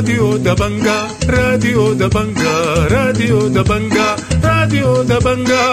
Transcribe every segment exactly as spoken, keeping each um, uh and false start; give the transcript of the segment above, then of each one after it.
راديو دبنجا، راديو دبنجا، راديو دبنجا، راديو دبنجا.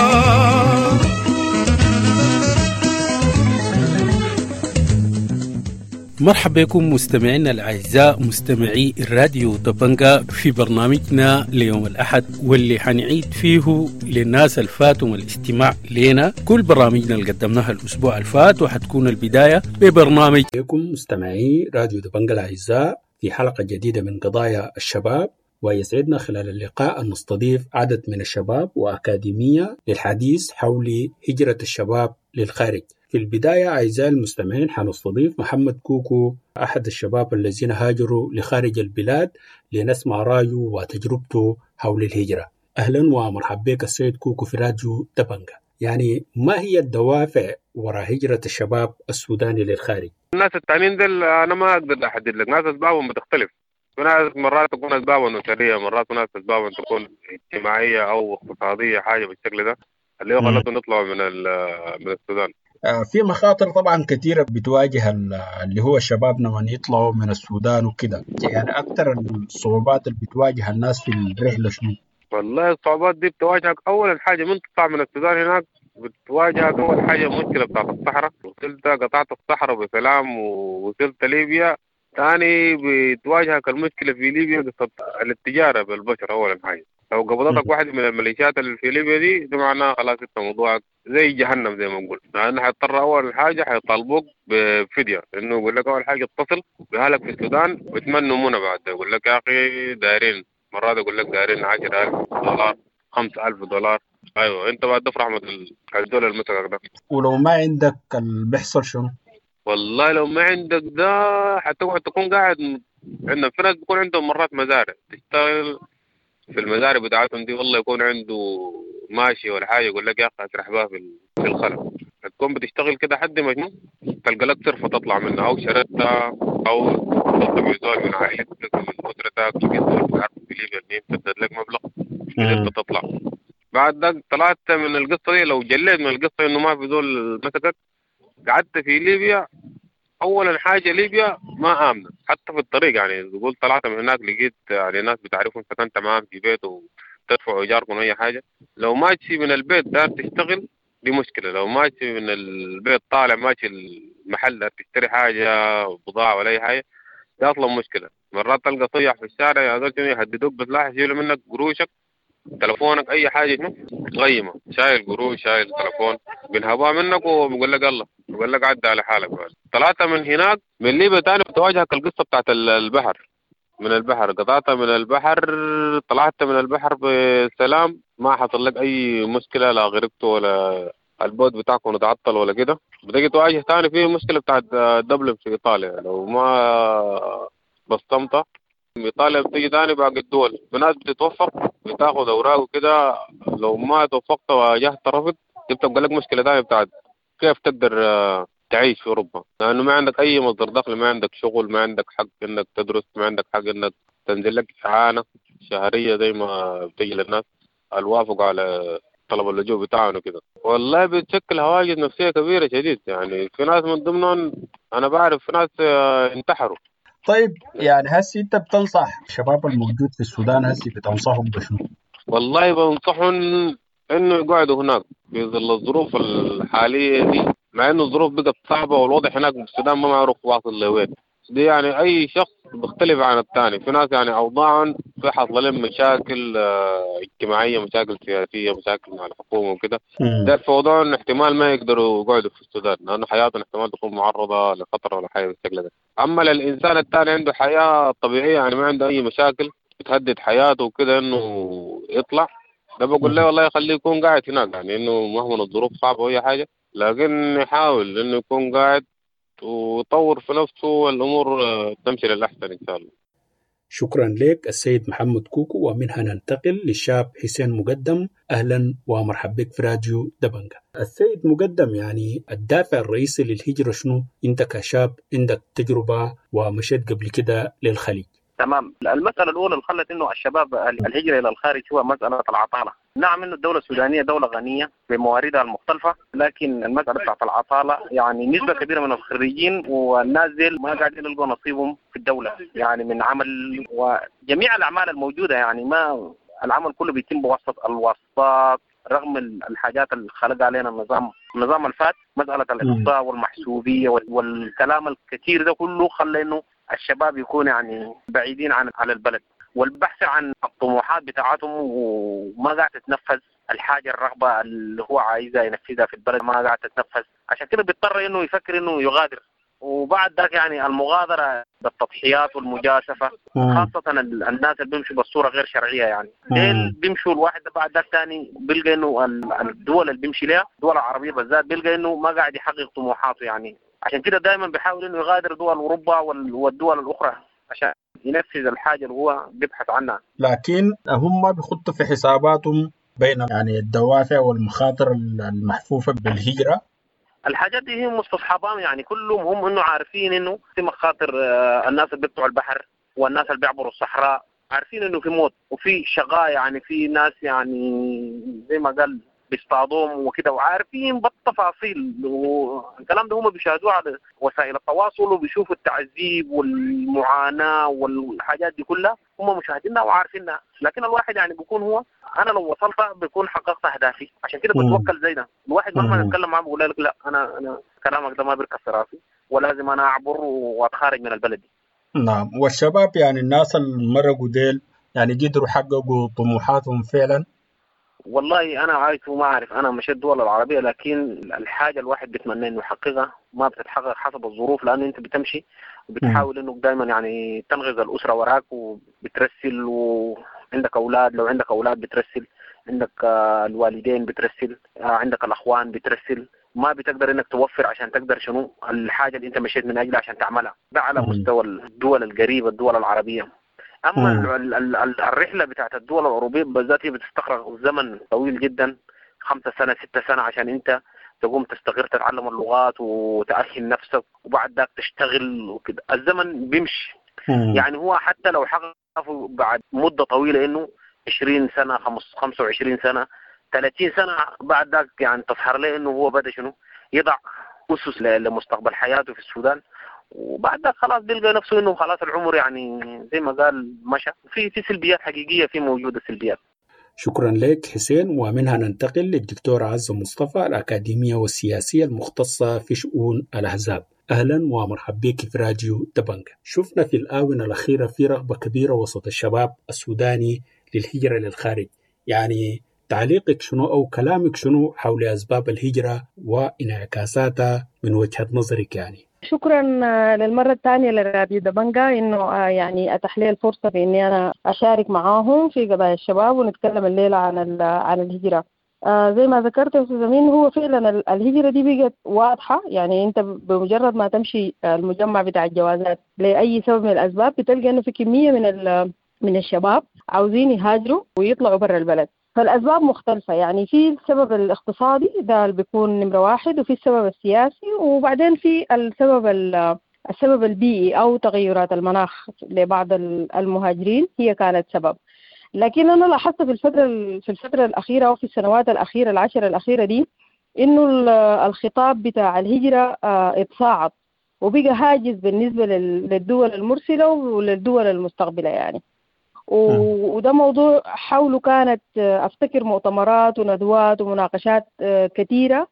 مرحبا بكم مستمعينا الأعزاء مستمعي الراديو دبنجا في برنامجنا ليوم الأحد، واللي حنعيد فيه للناس الفاتهم الاستماع لنا كل برامجنا اللي قدمناها الأسبوع الفات، وحتكون البداية ببرنامج بكم مستمعي راديو دبنجا الأعزاء في حلقة جديدة من قضايا الشباب، ويسعدنا خلال اللقاء أن نستضيف عدد من الشباب وأكاديمية للحديث حول هجرة الشباب للخارج. في البداية أعزائي المستمعين حنستضيف محمد كوكو، أحد الشباب الذين هاجروا لخارج البلاد، لنسمع رأيه وتجربته حول الهجرة. أهلا ومرحبا بك السيد كوكو في راديو دبنجا. يعني ما هي الدوافع وراء هجرة الشباب السوداني للخارج؟ الناس التانيين دول أنا ما أقدر أحدد لك، ناس أسبابهم بتختلف. في ناس مرات تكون أسبابهم أسرية، مرات ناس أسبابهم تكون اجتماعية أو اقتصادية، حاجة بالشكل ده اللي هو خلتهم يطلعوا من من السودان. في مخاطر طبعا كثيرة بتواجه اللي هو الشباب لما يطلعوا من السودان وكده، يعني أكثر الصعوبات اللي بتواجه الناس في الرحلة شنو؟ والله الصعوبات دي بتواجهك أول حاجة من تطلع من السودان هناك، بتواجهك أول حاجة مشكلة بتاعت الصحراء. وصلت قطعت الصحراء بسلام ووصلت ليبيا، ثاني بتواجهك المشكلة في ليبيا قصة التجارة بالبشر. أول حاجة لو قبضتك واحد من الميليشيات اللي في ليبيا دي، ده معناه خلاص انت موضوعك زي جهنم زي ما نقول، لأنه حيضطر أول حاجة حيطالبوك بفدية، إنه يقول لك أول حاجة اتصل بأهلك في السودان ويتمنوا منى بعد، يقول لك يا أخي دايرين، مرات يقول لك دايرين عشرة ألف دولار، خمسة ألف دولار. أيوة أنت بعد تفرح مثل الدولار المسكك ده. ولو ما عندك اللي بيحصل شنو؟ والله لو ما عندك ده حتقعد تكون قاعد. عندنا في ناس بيكون عندهم مرات مزارع، تشتغل في المزارع بتاعتهم دي، والله يكون عنده ماشي ولا حاجة، يقول لك يا اخي اسرح بها في في الخلا. تكون بتشتغل كده حد ما شنو تلقى لك صرفه تطلع منها، او شردتها، او تطلع زول من عائلتك من اسرتك، لقيت زول بتعرفه في ليبيا المهم سدد لك مبلغ قدرت تطلع. بعد ذاك طلعت من القصة دي، لو جليت من القصة انه ما في زول مسكك، قعدت في ليبيا. اولا حاجة ليبيا ما امنه حتى في الطريق، يعني تقول طلعت من هناك لقيت يعني ناس بتعرفهم سكنت معاهم في بيت وتدفعوا ايجاركم اي حاجة. لو ماشي من البيت دار تشتغل دي مشكلة، لو ماشي من البيت طالع ماشي المحل دار تشتري حاجة بضاعة ولا اي حاجة دي اصلا مشكلة. مرات تلقى صيح في الشارع يا زول يهددوك بسلاح، يشيلوا منك قروشك، تلفونك، اي حاجة شنو غيمة، شايل قروش شايل تلفون، بينهبوها منك وبيقول لك الله، بيقول لك عدى على حالك. بعد طلعت من هناك من ليبيا تاني بتواجهك القصة بتاعت البحر. من البحر قطعت من البحر، طلعت من البحر بسلام، ما حصل لك اي مشكلة، لا غرقت ولا البوت بتاعكم اتعطل ولا كده. بتيجي تواجه تاني في مشكلة بتاعت دبلن في ايطاليا، لو ما بصمت ايطاليا بتيجي تاني باقي الدول في ناس بتتوفق بتاخد اوراق وكده، لو ما توفقت وواجهت رفض بتبقى لك مشكلة تانية بتاعت كيف تقدر تعيش في اوروبا، لانه ما عندك اي مصدر دخل، ما عندك شغل، ما عندك حق انك تدرس، ما عندك حق انك تنزل لك اعانه شهرية زي ما بتجي للناس الوافق على طلب اللجوء بتاعهم وكده. والله بتشكل هواجس نفسية كبيرة شديد، يعني في ناس من ضمنهم انا بعرف في ناس انتحروا. طيب يعني هسي انت بتنصح الشباب الموجود في السودان، هسي بتنصحهم بشنو؟ والله بنصحهم انه يقعدوا هناك في ظل الظروف الحالية دي، مع انه الظروف بقت صعبة والوضع هناك في السودان ما معروف واصل لوين. دي يعني اي شخص بيختلف عن الثاني، في ناس يعني اوضاعهم في حصل لهم مشاكل اجتماعية، مشاكل سياسية، مشاكل مع الحكومة وكده، ده في وضعهم احتمال ما يقدروا يقعدوا في السودان لانه حياتهم احتمال تكون معرضه لخطر ولا حاجة بالشكل ده. اما للانسان الثاني عنده حياة طبيعية، يعني ما عنده اي مشاكل بتهدد حياته وكده انه يطلع، ده بقول له والله يخليه يكون قاعد هناك، يعني انه مهما الظروف صعبة واي حاجة لكن يحاول انه يكون قاعد ويطور في نفسه والامور تمشي للاحسن ان شاء الله. شكرا لك السيد محمد كوكو. ومنها ننتقل للشاب حسين مقدم. اهلا ومرحبا بك في راديو دبنجا. السيد مقدم، يعني الدافع الرئيسي للهجرة شنو؟ انت كشاب عندك تجربة ومشيت قبل كده للخليج. تمام. المسألة الأولى اللي خلت إنه الشباب الهجرة إلى الخارج هو مسألة العطالة. نعم إنه الدولة السودانية دولة غنية بمواردها المختلفة، لكن المسألة بتاعت العطالة يعني نسبة كبيرة من الخريجين والناس ديل ما قاعدين يلقوا نصيبهم في الدولة، يعني من عمل وجميع الأعمال الموجودة، يعني ما العمل كله بيتم بواسطة الواسطات، رغم الحاجات اللي خلق علينا النظام النظام الفات، مسألة الإقصاء والمحسوبية والكلام الكثير ده كله خلى إنه الشباب يكون يعني بعيدين عن على البلد والبحث عن الطموحات بتاعتهم، وما قاعد تتنفذ الحاجة الرغبة اللي هو عايزها ينفذها في البلد ما قاعد تتنفذ، عشان كده بيضطر إنه يفكر إنه يغادر. وبعد ذاك يعني المغادرة بالتضحيات والمجازفة، خاصة الناس اللي بيمشوا بالصورة غير شرعية، يعني ديل بيمشوا الواحد بعد ذاك ثاني بيلقى إنه الدول اللي بيمشي لها الدول العربية بالذات بيلقى إنه ما قاعد يحقق طموحاته، يعني عشان كده دائما بيحاول إنه يغادر دول أوروبا والدول الأخرى عشان ينفذ الحاجة اللي هو بيبحث عنها. لكن هم بيخطوا في حساباتهم بين يعني الدوافع والمخاطر المحفوفة بالهجرة. الحاجات دي هي مستصحبان، يعني كلهم هم انه عارفين انه في مخاطر، الناس اللي بيقطعوا البحر والناس اللي بيعبروا الصحراء عارفين انه في موت وفي شقاء، يعني في ناس يعني زي ما قال بيصطادوهم وكده، وعارفين بالتفاصيل، والكلام ده هم بيشاهدوه على وسائل التواصل وبيشوفوا التعذيب والمعاناة والحاجات دي كلها هم مشاهدينها وعارفينها. لكن الواحد يعني بيكون هو انا لو وصلت بيكون حققت اهدافي، عشان كده بتوكل زي ده. الواحد مهما نتكلم معاه بيقول لك لا انا انا كلامك ده ما بيركب في راسي ولازم انا اعبر واتخارج من البلد دي. نعم. والشباب يعني الناس اللي مرقوا ديل يعني قدروا حققوا طموحاتهم فعلا؟ والله انا عايش وما اعرف، انا مشيت الدول العربيه، لكن الحاجه الواحد بيتمنى انه يحققها ما بتتحقق حسب الظروف، لانه انت بتمشي وبتحاول انه دائما يعني تنغز الاسره وراك وبترسل، وعندك اولاد لو عندك اولاد بترسل، عندك الوالدين بترسل، عندك الاخوان بترسل، ما بتقدر انك توفر عشان تقدر شنو الحاجه اللي انت مشيت من اجلها عشان تعملها. ده على مستوى الدول القريبه الدول العربيه. اما ال ال ال الرحله بتاعت الدول الاوروبيه بالذات هي بتستغرق زمن طويل جدا، خمسة سنة ستة سنة عشان انت تقوم تستقر تتعلم اللغات وتأهل نفسك وبعد ذاك تشتغل وكده، الزمن بيمشي. يعني هو حتى لو حقق بعد مده طويله انه عشرين سنة خمسة وعشرين سنة ثلاثين سنة بعد ذاك يعني تظهر له انه هو بدا شنو يضع اسس لمستقبل حياته في السودان، وبعد ذاك خلاص بيلقى نفسه انه خلاص العمر يعني زي ما قال مشى. في في سلبيات حقيقيه، في موجوده سلبيات. شكرا لك حسين. ومنها ننتقل للدكتورة عزة مصطفى الأكاديمية والسياسية المختصة في شؤون الأحزاب. أهلا ومرحبا بك في راديو دبنجة. شفنا في الآونة الأخيرة في رغبة كبيرة وسط الشباب السوداني للهجرة للخارج، يعني تعليقك شنو أو كلامك شنو حول أسباب الهجرة وانعكاساتها من وجهة نظرك؟ يعني شكرا للمرة الثانية لراديو دبنجة إنه يعني أتاح لي الفرصة بإني أنا أشارك معاهم في قضايا الشباب ونتكلم الليلة عن عن الهجرة. زي ما ذكرت يا أستاذ أمين، هو فعلا الهجرة دي بقت واضحة، يعني أنت بمجرد ما تمشي المجمع بتاع الجوازات لأي سبب من الأسباب بتلقى إنه في كمية من من الشباب عاوزين يهاجروا ويطلعوا برا البلد. فالأسباب مختلفة، يعني في السبب الاقتصادي ده اللي بيكون نمرة واحد، وفي السبب السياسي، وبعدين في السبب السبب البيئي أو تغيرات المناخ لبعض المهاجرين هي كانت سبب. لكن أنا لاحظت في الفترة في الفترة الأخيرة أو في السنوات الأخيرة العشر الأخيرة دي إنه الخطاب بتاع الهجرة اتصاعد وبقى هاجس بالنسبة للدول المرسلة وللدول المستقبلة يعني. وده موضوع حوله كانت أفتكر مؤتمرات وندوات ومناقشات كثيرة،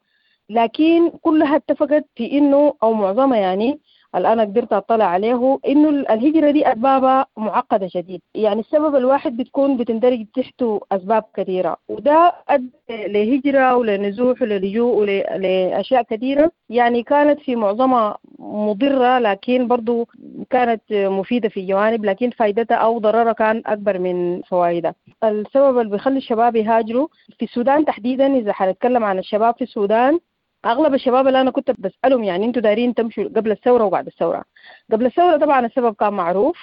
لكن كلها اتفقت في إنه أو معظمها يعني الآن قدرت أطلع عليه إنه الهجرة دي أسبابها معقدة شديد. يعني السبب الواحد بتكون بتندرج تحته أسباب كثيرة، وده أدى لهجرة ولنزوح وللجوء ولأشياء كثيرة يعني كانت في معظمها مضرة، لكن برضو كانت مفيدة في جوانب، لكن فائدتها أو ضررها كان أكبر من فوائدها. السبب اللي بيخلي الشباب يهاجروا في السودان تحديدا، إذا حنتكلم عن الشباب في السودان، أغلب الشباب اللي أنا كنت بسألهم يعني أنتوا دايرين تمشوا قبل الثورة وبعد الثورة. قبل الثورة طبعا السبب كان معروف،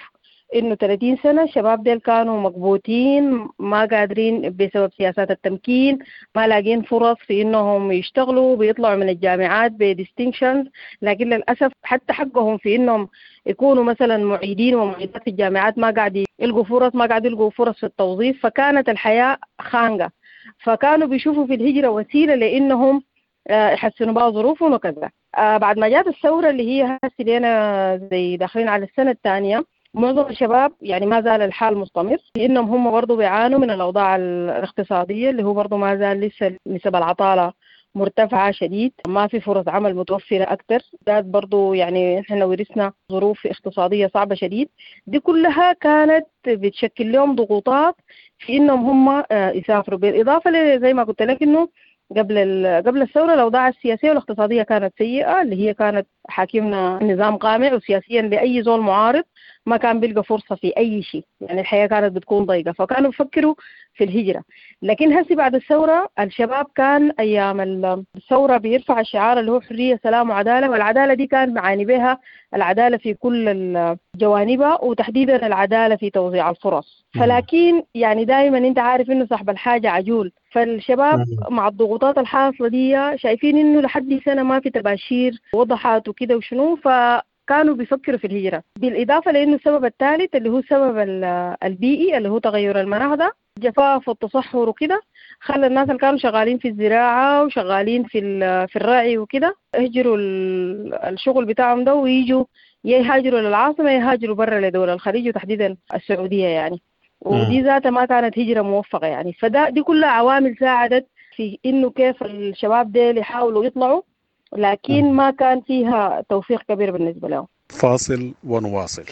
إنه ثلاثين سنة الشباب ديل كانوا مكبوتين، ما قادرين بسبب سياسات التمكين، ما لاقين فرص في إنهم يشتغلوا، بيطلعوا من الجامعات ب distinctions، لكن للأسف حتى حقهم في إنهم يكونوا مثلا معيدين ومعيدات في الجامعات ما قاعد يلقوا فرص، ما قاعد يلقوا فرص في التوظيف، فكانت الحياة خانقة. فكانوا بيشوفوا في الهجرة وسيلة لإنهم يحسنوا بها ظروفهم وكذا. بعد ما جات الثورة اللي هي هسه لنا زي داخلين على السنة الثانية، معظم الشباب يعني ما زال الحال مستمر، لأنهم هم برضو بيعانوا من الأوضاع الاقتصادية اللي هو برضو ما زال لسه نسب العطالة مرتفعة شديد، ما في فرص عمل متوفرة أكتر، ذات برضو يعني إحنا ورثنا ظروف اقتصادية صعبة شديد. دي كلها كانت بتشكل لهم ضغوطات في إنهم هم يسافروا. بالإضافة زي ما قلت لك إنه قبل قبل الثورة الأوضاع السياسية والاقتصادية كانت سيئة، اللي هي كانت حاكمنا نظام قامع، وسياسيا لأي زول معارض ما كان بيلقى فرصة في أي شيء، يعني الحياة كانت بتكون ضيقة، فكانوا بيفكروا في الهجرة. لكن هسي بعد الثورة الشباب كان أيام الثورة بيرفع الشعار اللي هو حرية سلام وعدالة، والعدالة دي كان معاني بها العدالة في كل جوانبها، وتحديدا العدالة في توزيع الفرص. فلكن يعني دائما انت عارف انه صاحب الحاجة عجول، فالشباب مع الضغوطات الحاصلة دي شايفين انه لحد سنة ما في تباشير وضحت وكده وشنو، ف كانوا بيفكروا في الهجرة. بالإضافة لأنه السبب الثالث اللي هو السبب البيئي اللي هو تغير المناخ ده، الجفاف والتصحر وكده، خلى الناس اللي كانوا شغالين في الزراعة وشغالين في في الرعي وكده يهجروا الشغل بتاعهم ده ويجوا يهاجروا للعاصمة، يهاجروا برا لدول الخليج وتحديدا السعودية يعني. ودي ذاتها ما كانت هجرة موفقة يعني. فده دي كلها عوامل ساعدت في إنه كيف الشباب ديل يحاولوا يطلعوا، لكن ما كان فيها توفيق كبير بالنسبة لهم. فاصل ونواصل.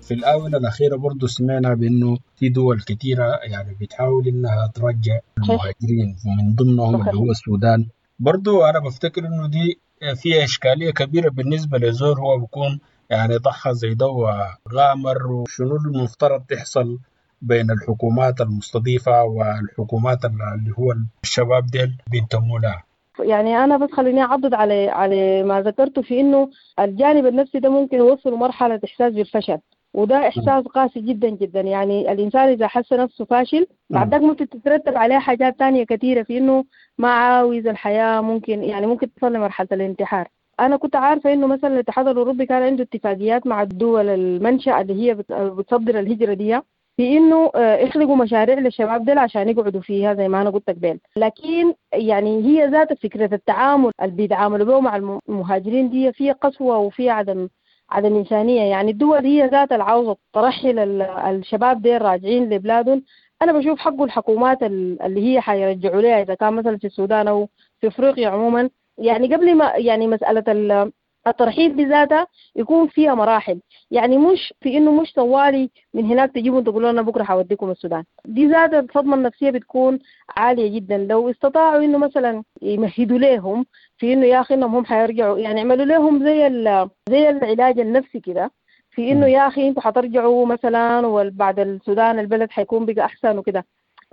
في الآونة الأخيرة برضو سمعنا بأنه في دول كثيرة يعني بتحاول إنها ترجع المهاجرين، ومن ضمنهم اللي هو السودان. برضو أنا بفتكر إنه دي فيها إشكالية كبيرة بالنسبة لزور، هو بيكون يعني ضحى زي ده وغامر، وشنو المفترض تحصل بين الحكومات المستضيفة والحكومات اللي هو الشباب ديل بينتموا لها. يعني أنا بس خليني أعضد على على ما ذكرته في إنه الجانب النفسي ده ممكن يوصل مرحلة إحساس بالفشل، وده إحساس قاسي جدا جدا. يعني الإنسان إذا حس نفسه فاشل بعد ذاك ممكن تترتب عليه حاجات تانية كثيرة في إنه ما عاوز الحياة، ممكن يعني ممكن تصل لمرحلة الانتحار. أنا كنت عارفة إنه مثلا الاتحاد الأوروبي كان عنده اتفاقيات مع الدول المنشأ اللي هي بتصدر الهجرة دي، في إنه يخلقوا مشاريع للشباب دول عشان يقعدوا فيها زي ما أنا قلت قبل. لكن يعني هي ذات فكرة التعامل اللي بيتعاملوا به مع المهاجرين دي فيها قسوة وفيها عدم عدم إنسانية. يعني الدول هي ذات العاوزة ترحل الشباب دي راجعين لبلادهم. أنا بشوف حقه الحكومات اللي هي حيرجعوا لها إذا كان مثلا في السودان أو في أفريقيا عموما، يعني قبل ما يعني مسألة الترحيل بذاتها يكون فيها مراحل، يعني مش في إنه مش طوالي من هناك تجيبوا تقولوا لنا بكرة حوديكم السودان. دي ذات الصدمة النفسية بتكون عالية جدا. لو استطاعوا إنه مثلا يمهدوا لهم في إنه يا أخي إنهم هم حيرجعوا، يعني يعملوا لهم زي زي العلاج النفسي كده، في إنه يا أخي أنتوا حترجعوا مثلا وبعد السودان البلد حيكون بقى أحسن وكده،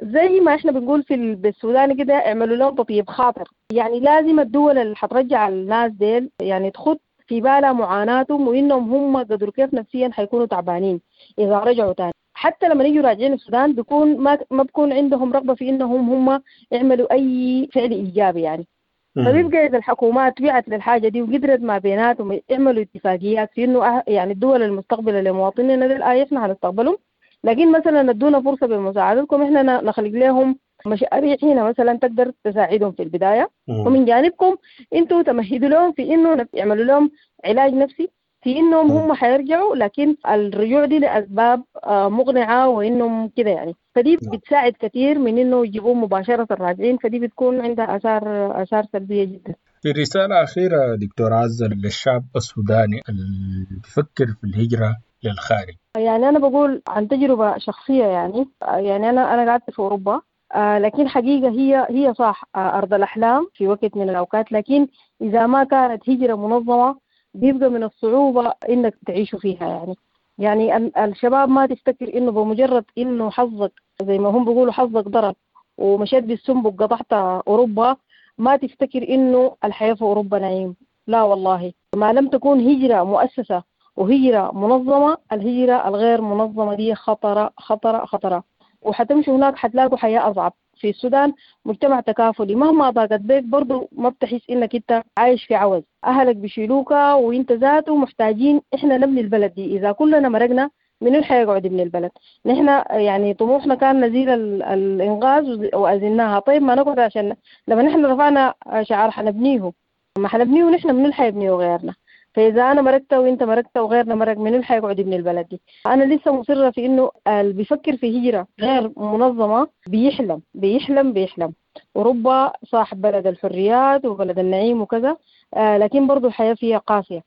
زي ما احنا بنقول في السودان كده اعملوا لهم تطيب خاطر. يعني لازم الدول اللي حترجع الناس ديل يعني تخط في بالها معاناتهم وإنهم هم قدروا كيف نفسيا حيكونوا تعبانين إذا رجعوا تاني. حتى لما يجوا راجعين السودان بيكون ما ما بيكون عندهم رغبة في إنهم هم يعملوا أي فعل إيجابي يعني. فبيبقى إذا الحكومات وعت للحاجة دي وقدرت ما بيناتهم يعملوا اتفاقيات في إنه يعني الدول المستقبلة لمواطنينا دي الآية إحنا هنستقبلهم، لكن مثلا ادونا فرصة بمساعدتكم إحنا نخلق لهم مشاريع هنا مثلا تقدر تساعدهم في البداية. مم. ومن جانبكم انتوا تمهدوا لهم في انه يعملوا لهم علاج نفسي في انهم هم حيرجعوا، لكن الرجوع دي لاسباب مقنعه وانهم كده يعني. فدي بتساعد كثير من انه يجيبوهم مباشره الراجعين، فدي بتكون عندها اثار اثار سلبيه جدا. في رساله اخيره دكتور عزة للشعب السوداني اللي بيفكر في الهجره للخارج. يعني انا بقول عن تجربه شخصيه، يعني يعني انا انا قعدت في اوروبا، آه لكن حقيقة هي هي صح آه أرض الأحلام في وقت من الأوقات، لكن إذا ما كانت هجرة منظمة بيبقى من الصعوبة إنك تعيشوا فيها. يعني يعني الشباب ما تفتكر إنه بمجرد إنه حظك زي ما هم بيقولوا حظك ضرب ومشيت بالسنبك قطعت أوروبا، ما تفتكر إنه الحياة في أوروبا نعيم. لا والله، ما لم تكون هجرة مؤسسة وهجرة منظمة، الهجرة الغير منظمة دي خطرة خطرة خطرة، وحتمشوا هناك حتلاقوا حياة أصعب. في السودان مجتمع تكافلي، مهما ضاقت بيك برضو ما بتحس إنك أنت عايش في عوز، أهلك بيشيلوك وإنت ذاته محتاجين. إحنا نبني البلد دي، إذا كلنا مرقنا من الحيقعد يبني البلد؟ نحن يعني طموحنا كان نزيل الإنغاز وأزلناها. طيب ما نقعد عشان لما نحن رفعنا شعار حنبنيه، ما حنبنيه نحن من الحيبنيه غيرنا. فإذا أنا مرقت وإنت مرقت وغيرنا مرق، من اللي حيقعد يبني البلد دي؟ أنا لسه مصرة في إنه اللي بيفكر في هجرة غير منظمة بيحلم بيحلم بيحلم. أوروبا صاحب بلد الحريات وبلد النعيم وكذا، آه لكن برضو الحياة فيها قاسية.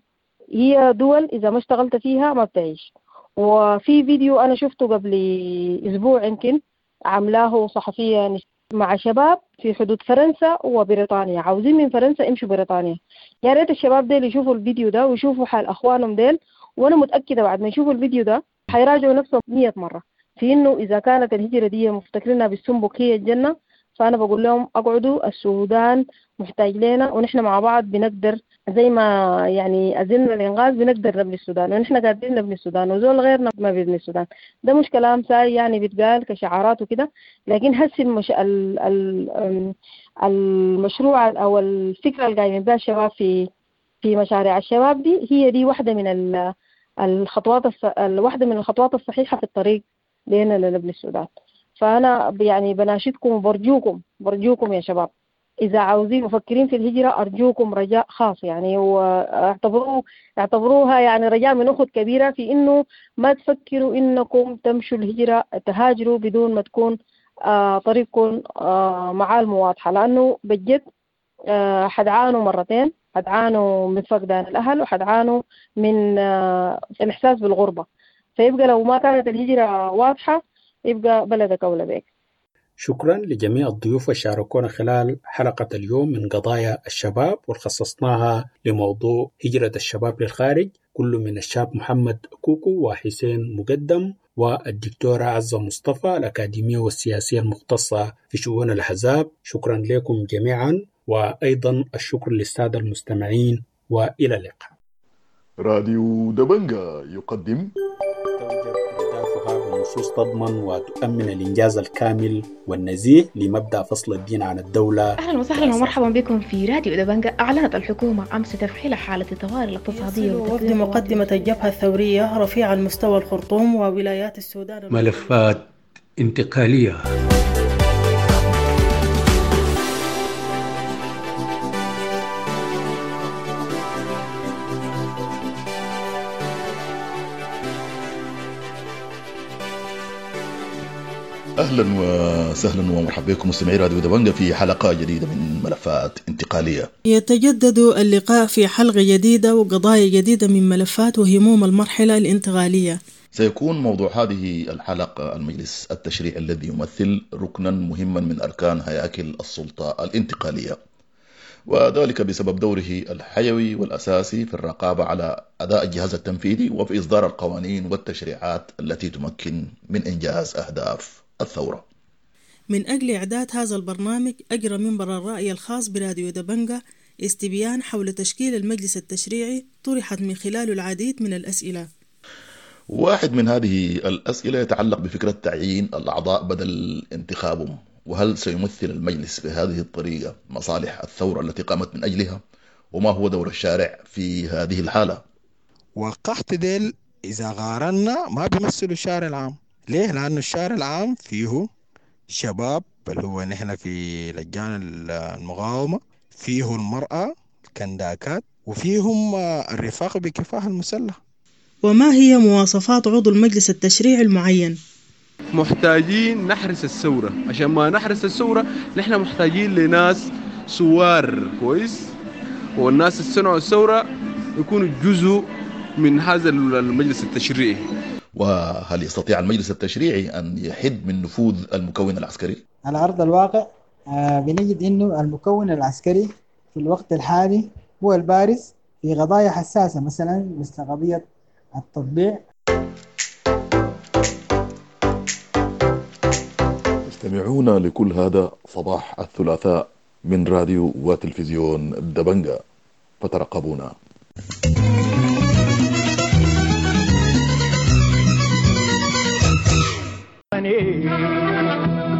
هي دول إذا ما اشتغلت فيها ما بتعيش. وفي فيديو أنا شفته قبل أسبوع يمكن عملاه صحفية مع شباب في حدود فرنسا وبريطانيا، عاوزين من فرنسا يمشوا بريطانيا. يا ريت الشباب ديل يشوفوا الفيديو ده ويشوفوا حال اخوانهم ديل، وانا متاكده بعد ما يشوفوا الفيديو ده حيراجعوا نفسهم مية مره في انه اذا كانت الهجره دي مفتكرينها بالسنبك هي الجنه، فانا بقول لهم اقعدوا، السودان محتاج لنا ونحن مع بعض بنقدر، زي ما يعني أزلنا الإنغاز بنقدر نبني السودان، ونحن قادرين نبني السودان وزول غيرنا ما بيبني السودان. ده مش كلام ساي يعني بيتقال كشعارات وكده، لكن هسي المش... ال... ال... المشروع أو الفكرة اللي قايمين بها الشباب في في مشاريع الشباب دي، هي دي واحدة من ال... الخطوات الص... واحدة من الخطوات الصحيحة في الطريق لنا لنبني السودان. فأنا يعني بناشدكم وبرجوكم برجوكم يا شباب، إذا عاوزين مفكرين في الهجرة أرجوكم رجاء خاص يعني، واعتبروه اعتبروها يعني رجاء من أخت كبيرة في إنه ما تفكروا إنكم تمشوا الهجرة تهاجروا بدون ما تكون آه طريقكم آه معالمه واضحة، لأنه بجد آه حدعانوا مرتين، حدعانوا من فقدان الأهل وحدعانوا من آه الإحساس بالغربة. فيبقى لو ما كانت الهجرة واضحة يبقى بلدك أولى بك. شكرا لجميع الضيوف اللي شاركونا خلال حلقة اليوم من قضايا الشباب وخصصناها لموضوع هجرة الشباب للخارج، كل من الشاب محمد كوكو وحسين مقدم والدكتورة عزة مصطفى الأكاديمية والسياسية المختصة في شؤون الأحزاب. شكرا لكم جميعا، وأيضا الشكر للسادة المستمعين، وإلى اللقاء. راديو دبنجا يقدم بنصوص تضمن وتؤمن الإنجاز الكامل والنزيه لمبدأ فصل الدين عن الدولة. أهلا وسهلا ومرحبا بكم في راديو دبنجا. أعلنت الحكومة أمس تفعيل حالة الطوارئ الاقتصادية وفد مقدمة الجبهة الثورية رفيع المستوى الخرطوم وولايات السودان. ملفات انتقالية. اهلا وسهلا ومرحبا بكم مستمعي راديو دبنجا في حلقه جديده من ملفات انتقاليه. يتجدد اللقاء في حلقه جديده وقضايا جديده من ملفات وهموم المرحله الانتقاليه. سيكون موضوع هذه الحلقه المجلس التشريعي الذي يمثل ركنا مهما من اركان هياكل السلطه الانتقاليه، وذلك بسبب دوره الحيوي والاساسي في الرقابه على اداء الجهاز التنفيذي وفي اصدار القوانين والتشريعات التي تمكن من انجاز اهداف الثورة. من أجل إعداد هذا البرنامج أجرى منبر الرأي الخاص براديو دبنجا استبيان حول تشكيل المجلس التشريعي طرحت من خلاله العديد من الأسئلة. واحد من هذه الأسئلة يتعلق بفكرة تعيين الأعضاء بدل انتخابهم، وهل سيمثل المجلس بهذه الطريقة مصالح الثورة التي قامت من أجلها؟ وما هو دور الشارع في هذه الحالة؟ وقحت ديل إذا قارنا ما بيمثلوا الشارع العام. ليه؟ لأنه الشارع العام فيه شباب اللي هو نحن في لجان المقاومة، فيه المرأة الكنداكات، وفيهم الرفاق بكفاح المسلح. وما هي مواصفات عضو المجلس التشريعي المعين؟ محتاجين نحرس الثورة، عشان ما نحرس الثورة نحن محتاجين لناس سوار كويس، والناس اللي صنعوا الثورة يكونوا جزء من هذا المجلس التشريعي. وهل يستطيع المجلس التشريعي أن يحد من نفوذ المكون العسكري؟ على أرض الواقع بنجد أنه المكون العسكري في الوقت الحالي هو البارز في قضايا حساسة، مثلا مثل قضية التطبيع. تستمعون لكل هذا صباح الثلاثاء من راديو وتلفزيون دبنجا، فترقبونا. وطني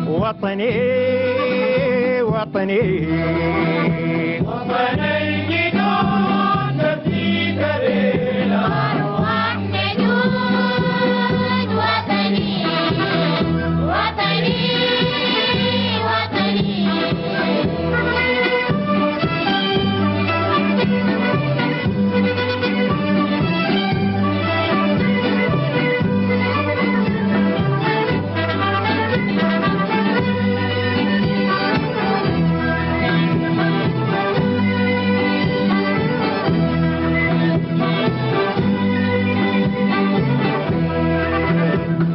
وطني وطني وطني جدود في كريلا أرواح نجود وطني وطني وطني.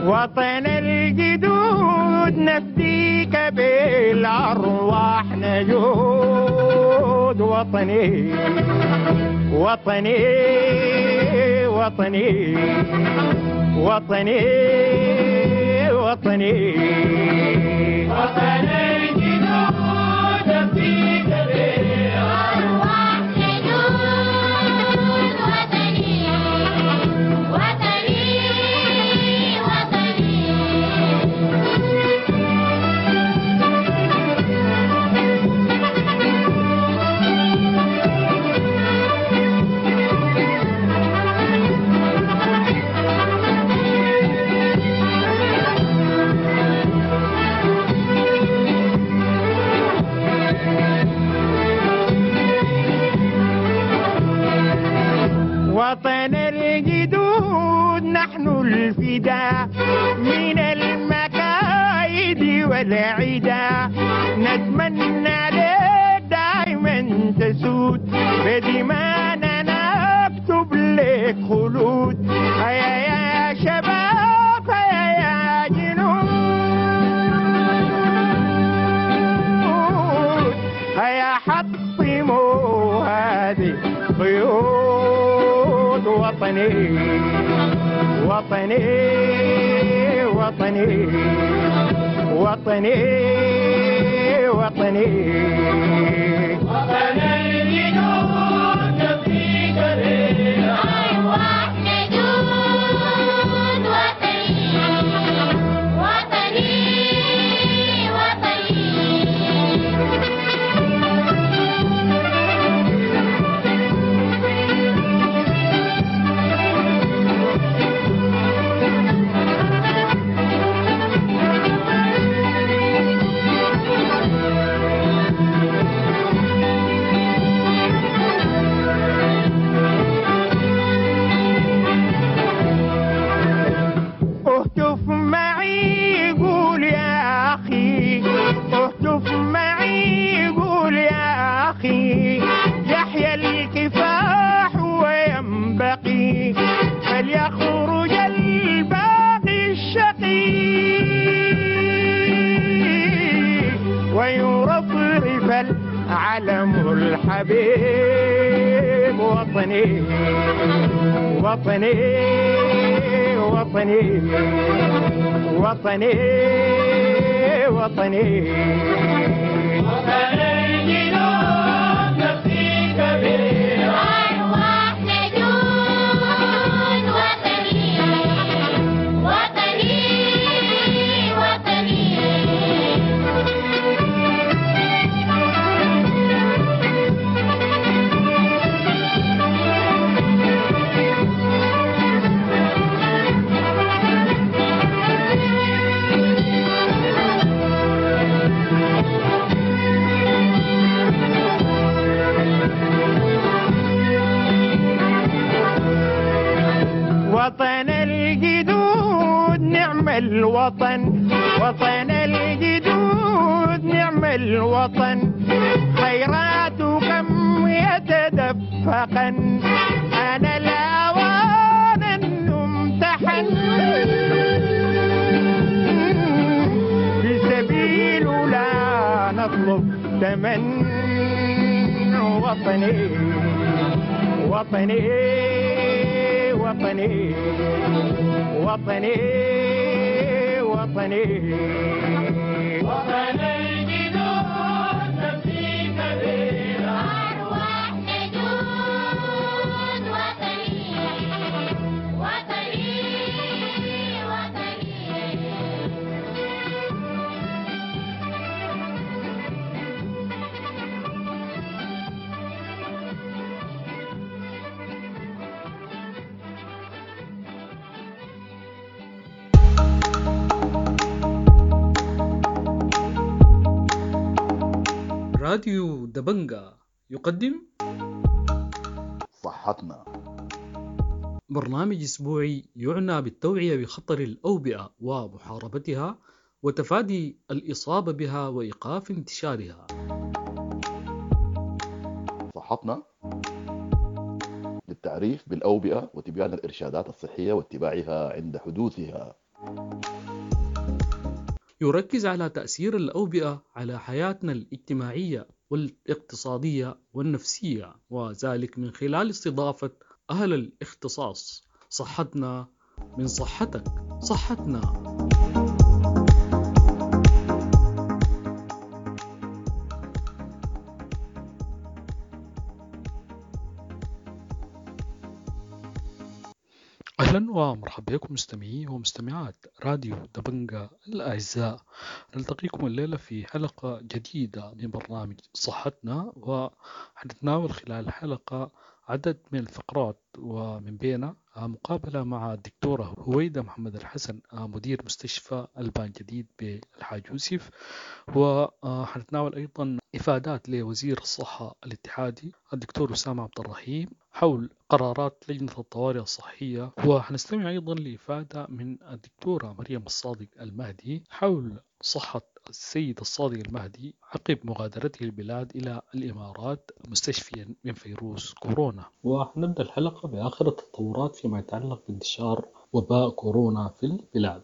وطن الجدود نفديك بالأرواح نجود وطني وطني وطني وطني وطني وطن الجدود نفديك بالأرواح نجود وطني وطني وطني. وطن الجدود نحن الفداء من المكايد والعدا، نتمنى لك دائما تسود بدمانا نكتب لك خلود. هيا يا شباب هيا يا جنود هيا حطموا هذه قيود. وطني وطني وطني وطني وطني وطن الجدود في كريلا أرواح نجود وطني وطني وطني. اهتف معي قول يا أخي، اهتف معي قول يا أخي، يحيى الكفاح وينبغي فليخرج الباقي الشقي ويرفرف العلم الحبيب. وطني وطني وطني وطني وطني وطن الجنود نفسي الوطن، وطن الجدود نعم الوطن، خيراته كم يتدفقن، أنا الأوان أن أمتحن، في سبيل لا نطلب ثمن، وطني وطني وطني وطني وطني وطن الجدود نفسي كبيرة، أرواح نجود وطني وطني وطني. راديو دبنجا يقدم صحتنا، برنامج أسبوعي يعنى بالتوعية بخطر الأوبئة ومحاربتها وتفادي الإصابة بها وإيقاف انتشارها. صحتنا للتعريف بالأوبئة وتبيان الإرشادات الصحية واتباعها عند حدوثها. يركز على تأثير الأوبئة على حياتنا الاجتماعية والاقتصادية والنفسية، وذلك من خلال استضافة أهل الاختصاص. صحتنا من صحتك، صحتنا. أهلا ومرحبا بكم مستمعي ومستمعات راديو دبنجا الأعزاء. نلتقيكم الليلة في حلقة جديدة من برنامج صحتنا، وحنتناول خلال الحلقة عدد من الفقرات، ومن بينها مقابلة مع الدكتورة هويدا محمد الحسن مدير مستشفى البان جديد بالحاج يوسف، وحنتناول أيضا إفادات لوزير الصحة الاتحادي الدكتور أسامة عبد الرحيم حول قرارات لجنة الطوارئ الصحية، وحنستمع أيضا لإفادة من الدكتورة مريم الصادق المهدي حول صحة السيد الصادق المهدي عقب مغادرته البلاد إلى الإمارات مستشفيا من فيروس كورونا. وحنبدأ الحلقة بآخر التطورات فيما يتعلق بانتشار وباء كورونا في البلاد.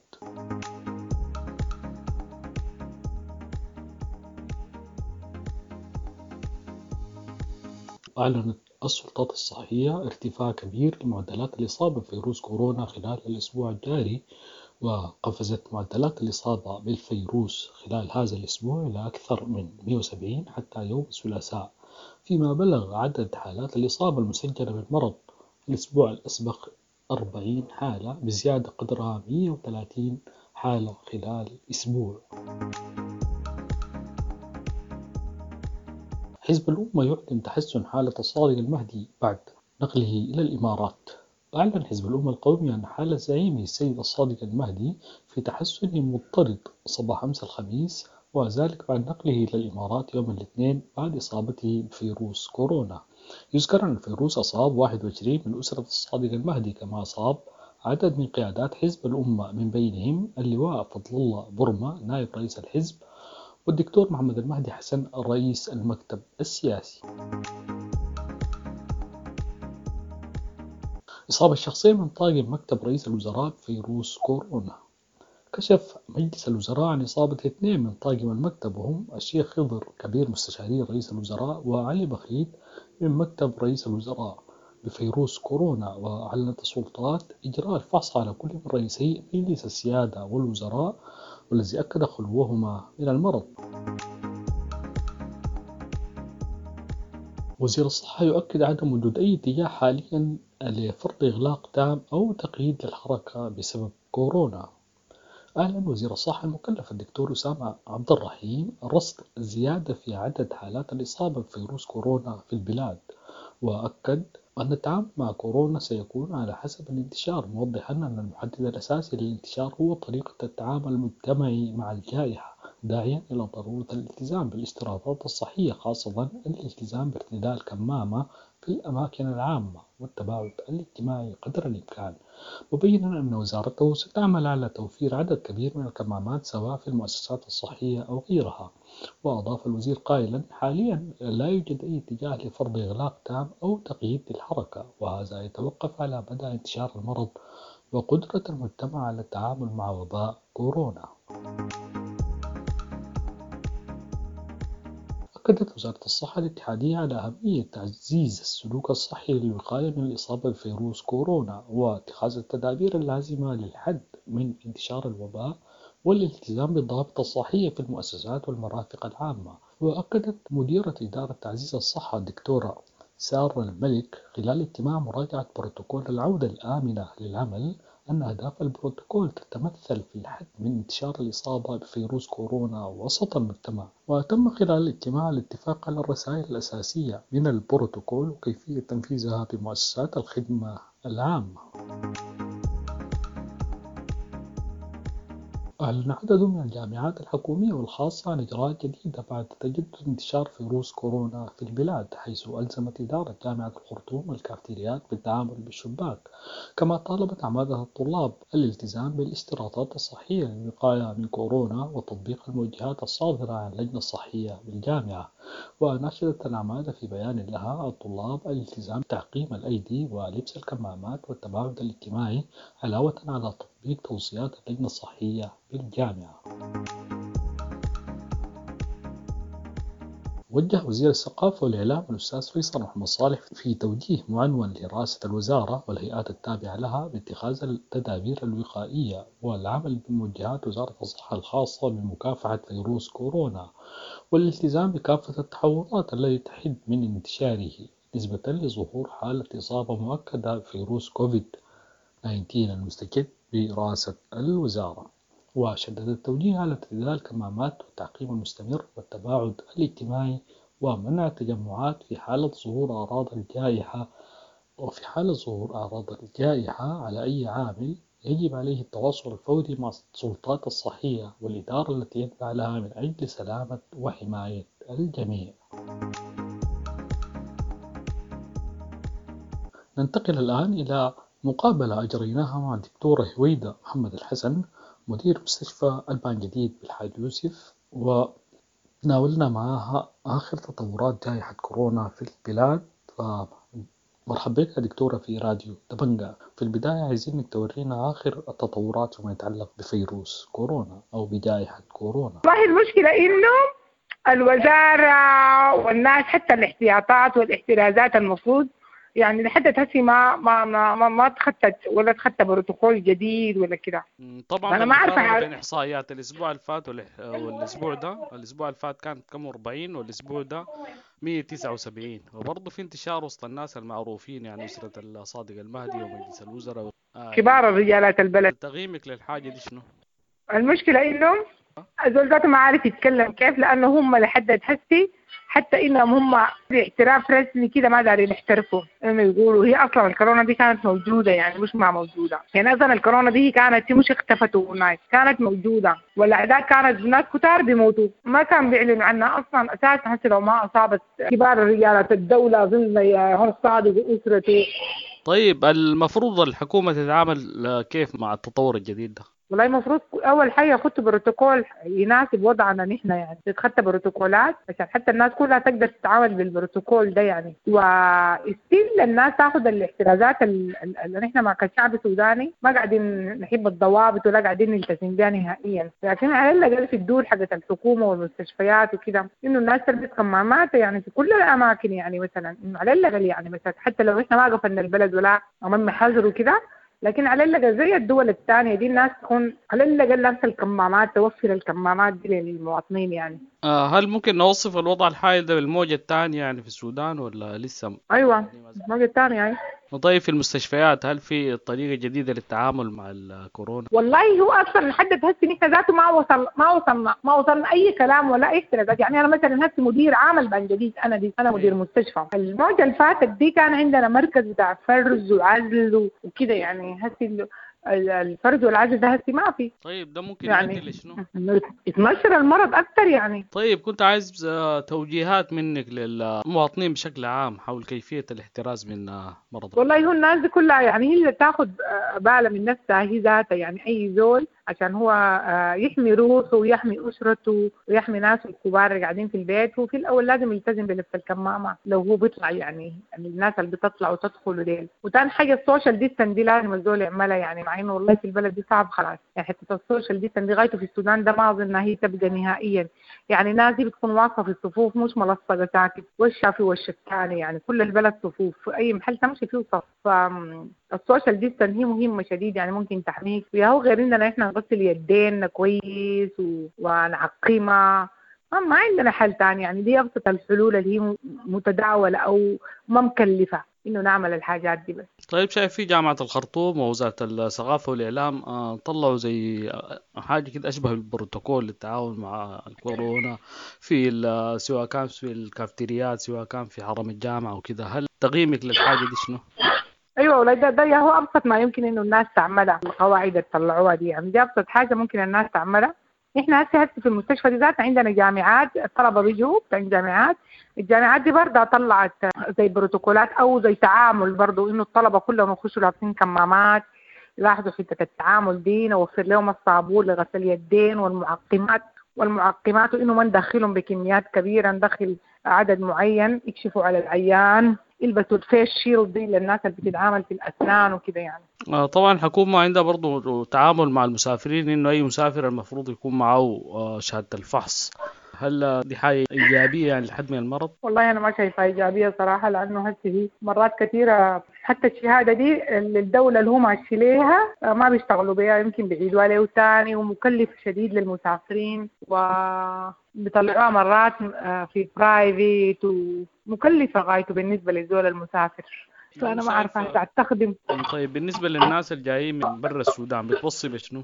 أعلنت السلطات الصحية ارتفاع كبير لمعدلات الإصابة بفيروس كورونا خلال الأسبوع الجاري، وقفزت معدلات الإصابة بالفيروس خلال هذا الأسبوع إلى أكثر من مئة وسبعين حتى يوم الثلاثاء، فيما بلغ عدد حالات الإصابة المسجلة بالمرض الأسبوع الأسبق أربعين حالة، بزيادة قدرها مئة وثلاثين حالة خلال أسبوع. حزب الأمة يعلن تحسن حالة الصادق المهدي بعد نقله إلى الإمارات. أعلن حزب الأمة القومي أن حالة زعيمه السيد الصادق المهدي في تحسن مضطرد صباح أمس الخميس، وذلك بعد نقله إلى الإمارات يوم الاثنين بعد إصابته بفيروس كورونا. يذكر أن الفيروس أصاب واحد وعشرين من أسرة الصادق المهدي، كما أصاب عدد من قيادات حزب الأمة من بينهم اللواء فضل الله برمة نائب رئيس الحزب، والدكتور محمد المهدي حسن رئيس المكتب السياسي. إصابة شخصية من طاقم مكتب رئيس الوزراء بفيروس كورونا. كشف مجلس الوزراء عن إصابة اثنين من طاقم المكتب، وهم الشيخ خضر كبير مستشاري رئيس الوزراء وعلي بخيت من مكتب رئيس الوزراء بفيروس كورونا. وأعلنت السلطات إجراء الفحص على كل من رئيسي مجلس السيادة والوزراء، والذي أكد خلوهما من المرض. وزير الصحة يؤكد عدم وجود أي اتجاه حاليا لفرض إغلاق تام أو تقييد للحركة بسبب كورونا. أعلن وزير الصحة المكلف الدكتور أسامة عبد الرحيم رصد زيادة في عدد حالات الإصابة بفيروس كورونا في البلاد، وأكد أن التعامل مع كورونا سيكون على حسب الانتشار، موضحا أن المحدد الأساسي للانتشار هو طريقة التعامل المجتمعي مع الجائحة، داعيا إلى ضرورة الالتزام بالاشتراطات الصحية، خاصة الالتزام بارتداء الكمامة في الأماكن العامة والتباعد الاجتماعي قدر الإمكان، مبينا أن وزارته ستعمل على توفير عدد كبير من الكمامات سواء في المؤسسات الصحية أو غيرها. وأضاف الوزير قائلا: حاليا لا يوجد أي اتجاه لفرض إغلاق تام أو تقييد للحركة، وهذا يتوقف على مدى انتشار المرض وقدرة المجتمع على التعامل مع وباء كورونا. أكدت وزارة الصحة الاتحادية على أهمية تعزيز السلوك الصحي للوقاية من الإصابة بفيروس كورونا واتخاذ التدابير اللازمة للحد من انتشار الوباء والالتزام بالضوابط الصحية في المؤسسات والمرافق العامة. وأكدت مديرة إدارة تعزيز الصحة الدكتورة سارة الملك خلال اجتماع مراجعة بروتوكول العودة الآمنة للعمل أن أهداف البروتوكول تتمثل في الحد من انتشار الإصابة بفيروس كورونا وسط المجتمع. وتم خلال الاجتماع الاتفاق على الرسائل الأساسية من البروتوكول وكيفية تنفيذها بمؤسسات الخدمة العامة. أعلن عدد من الجامعات الحكومية والخاصة عن إجراءات جديدة بعد تجدد انتشار فيروس كورونا في البلاد، حيث ألزمت إدارة جامعة الخرطوم الكافتريات بالتعامل بالشباك، كما طالبت عمادة الطلاب الالتزام بالاشتراطات الصحية للوقاية من كورونا وتطبيق الموجهات الصادرة عن اللجنة الصحية بالجامعة. وناشدت العمادة في بيان لها الطلاب الالتزام بتعقيم الأيدي ولبس الكمامات والتباعد الاجتماعي، علاوة على تطبيق توصيات اللجنة الصحية بالجامعة. وجه وزير الثقافة والإعلام الأستاذ فيصل محمد صالح في توجيه معنون لرئاسة الوزارة والهيئات التابعة لها باتخاذ التدابير الوقائية والعمل بموجهات وزارة الصحة الخاصة بمكافحة فيروس كورونا والالتزام بكافة التحوطات التي تحد من انتشاره، نسبة لظهور حالة إصابة مؤكدة بفيروس كوفيد تسعة عشر المستجد برئاسة الوزارة. وشدد التوجيه على ارتداء الكمامات والتعقيم المستمر والتباعد الاجتماعي ومنع التجمعات في حالة ظهور أعراض الجائحة وفي حالة ظهور أعراض الجائحة على أي عامل يجب عليه التواصل الفوري مع السلطات الصحية والإدارة التي يتبع لها من أجل سلامة وحماية الجميع. ننتقل الآن إلى مقابلة أجريناها مع الدكتورة هويدا محمد الحسن مدير مستشفى البان جديد بالحاج يوسف، وناولنا معها آخر تطورات جائحة كورونا في البلاد. فمرحبا بك يا دكتورة في راديو دبنجا. في البداية عايزينك تورينا آخر التطورات فيما يتعلق بفيروس كورونا أو بجائحة كورونا. والله المشكلة إنه الوزارة والناس حتى الاحتياطات والاحترازات المفروض يعني لحد هسي ما ما ما ما, ما تخطت ولا تخطى بروتوكول جديد ولا كده. طبعا انا ما عارفه بين احصائيات الاسبوع اللي فات والاسبوع ده، الاسبوع اللي فات كانت كم أربعين والاسبوع ده مية وتسعة وسبعين، وبرضه في انتشار وسط الناس المعروفين يعني اسره الصادق المهدي ومجلس الوزراء آه كبار الرجالات البلد. تقييمك للحاجه دي شنو؟ المشكله انه الزول ذاته ما عارف يتكلم كيف، لانه هم لحد هسي حتى انهم هم باعتراف رسمي كده ما دارين يحترفوا انه يقولوا هي اصلا الكورونا دي كانت موجوده، يعني مش ما موجوده، يعني اصلا الكورونا دي كانت مش اختفت overnight، كانت موجوده والاعداد كانت ناس كتار بيموتوا ما كان بيعلنوا عنها اصلا اساسا. هسه لو ما اصابت كبار رجالات الدوله اظن هون الصادق واسرته. طيب المفروض الحكومه تتعامل كيف مع التطور الجديد ده؟ والله المفروض اول حاجه يخطوا بروتوكول يناسب وضعنا نحن، يعني تتخطى بروتوكولات عشان حتى الناس كلها تقدر تتعامل بالبروتوكول ده يعني، و still الناس تاخذ الاحترازات اللي نحن مع كشعب سوداني ما قاعدين نحب الضوابط ولا قاعدين نلتزم بها نهائيا، لكن على الاقل في الدور حقت الحكومه والمستشفيات وكده انه الناس تلبس كمامات يعني في كل الاماكن، يعني مثلا انه على الاقل يعني مثلا حتى لو احنا ما قفلنا البلد ولا عملنا حظر وكده، لكن على الأقل زي الدول الثانية دي الناس تكون على الأقل لابسة الكمامات، توفر الكمامات دي للمواطنين يعني. آه هل ممكن نوصف الوضع الحالي ده بالموجة الثانية يعني في السودان ولا لسه؟ أيوة الموجة الثانية يعني. طيب في المستشفيات هل في طريقة جديدة للتعامل مع الكورونا؟ والله هو أصلا لحد هسه نحن ذاته ما وصل ما وصلنا ما وصلنا أي كلام ولا أي احترازات. يعني أنا مثلا هسه مدير عام البان جديد، أنا دي أنا مدير مستشفى. الموجة اللي فاتت دي كان عندنا مركز بتاع فرز وعزل وكده، يعني هسه الفرز والعزل ده هسي ما في. طيب ده ممكن يعني يؤدي لشنو؟ يتنشر المرض اكثر يعني. طيب كنت عايز توجيهات منك للمواطنين بشكل عام حول كيفية الاحتراز من مرض. والله هو الناس دي كلها يعني هي اللي تاخذ بالها من نفسها هي ذاتها، يعني اي زول عشان هو يحمي روحه ويحمي اسرته ويحمي ناسه الكبار اللي قاعدين في البيت، هو في الاول لازم يلتزم بلبس الكمامة لو هو بيطلع، يعني الناس اللي بتطلع وتدخل ديل. وتاني حاجة ال social distance دي لازم الزول يعملها، يعني مع انه والله في البلد دي صعب خلاص، يعني حتة ال social distance دي غايته في السودان ده ما اظن هي تبقى نهائيا، يعني الناس دي بتكون واقفة في الصفوف مش ملصقه ساكت وشها في وش الثاني، يعني كل البلد صفوف في اي محل تمشي فيه صف. فال social distance هي مهمة شديد، يعني ممكن تحميك ويا هو غير اننا احنا نغسل يدينا كويس و... ونعقمها، ما عندنا حل تاني، يعني دي ابسط الحلول اللي هي متداوله او ما مكلفة انه نعمل الحاجات دي بس. طيب شايف في جامعة الخرطوم ووزارة الثقافة والإعلام طلعوا زي حاجة كده أشبه بالبروتوكول للتعاون مع الكورونا في سواء كان في الكافتريات سواء كان في حرم الجامعة وكده، هل تقييمك للحاجة دي شنو؟ ايوه والله ده ده هو ابسط ما يمكن انه الناس تعملها، القواعد اللي طلعوها دي يعني دي ابسط حاجة ممكن الناس تعملها. احنا هسه هسه في المستشفى دي ذاتنا عندنا جامعات، الطلبة بيجوا بتاع جامعات، الجامعات دي برضه طلعت زي بروتوكولات او زي تعامل برضه، انه الطلبة كلهم يخشوا لابسين كمامات، يلاحظوا حتة التعامل دي، نوفر لهم الصابون لغسل اليدين والمعقمات والمعقمات وانه ما ندخلهم بكميات كبيرة، ندخل عدد معين، يكشفوا على العيان، يلبسوا ال face shield دي للناس اللي بتتعامل في الاسنان وكده يعني. آه طبعا الحكومة عندها برضو تعامل مع المسافرين، انه اي مسافر المفروض يكون معه آه شهادة الفحص، هل دي حاجة ايجابية يعني لحد من المرض؟ والله انا ما شايفها ايجابية صراحة، لانه هسه هي مرات كثيرة حتى الشهادة دي الدولة اللي هم ماشي ليها ما بيشتغلوا بيها، يمكن بيعيدوها له ثاني ومكلف شديد للمسافرين، وبيطلعوها مرات في private ومكلفه غايته بالنسبة للزول المسافر، فانا ما عارفه هسه تخدم. طيب بالنسبة للناس الجايين من برا السودان بتوصي بشنو؟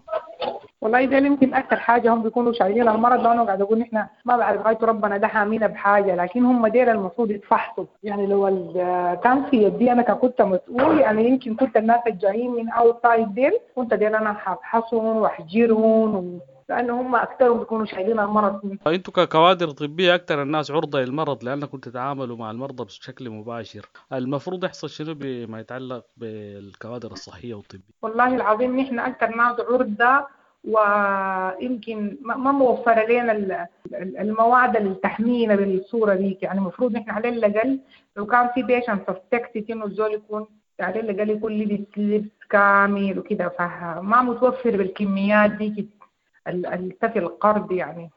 والله ده يمكن اكثر حاجة هم بيكونوا شايلين المرض، لانه قاعد اقول نحن ما بعرف غايته ربنا ده حامينا بحاجة، لكن هم ديل المفروض يتفحصوا، يعني لو كان في يدي انا كنت مسؤول يعني يمكن كنت الناس الجايين من outside ديل كنت ديل انا حافحصهم واحجرهم و... لانه هم اكثرهم بيكونوا شايلين المرض. انتوا ككوادر طبية اكثر الناس عرضه للمرض لانكم تتعاملوا مع المرضى بشكل مباشر، المفروض يحصل شنو بما يتعلق بالكوادر الصحية والطبية؟ والله العظيم نحن اكثر ناس عرضه، ويمكن ما موفره لنا المواد اللي تحمينا بالصورة ديك، يعني المفروض نحن على الاقل لو كان في patient suspected انه الزول يكون على الاقل يكون لبس لبس كامل وكده، فما متوفر بالكميات ديك التفي القرض يعني.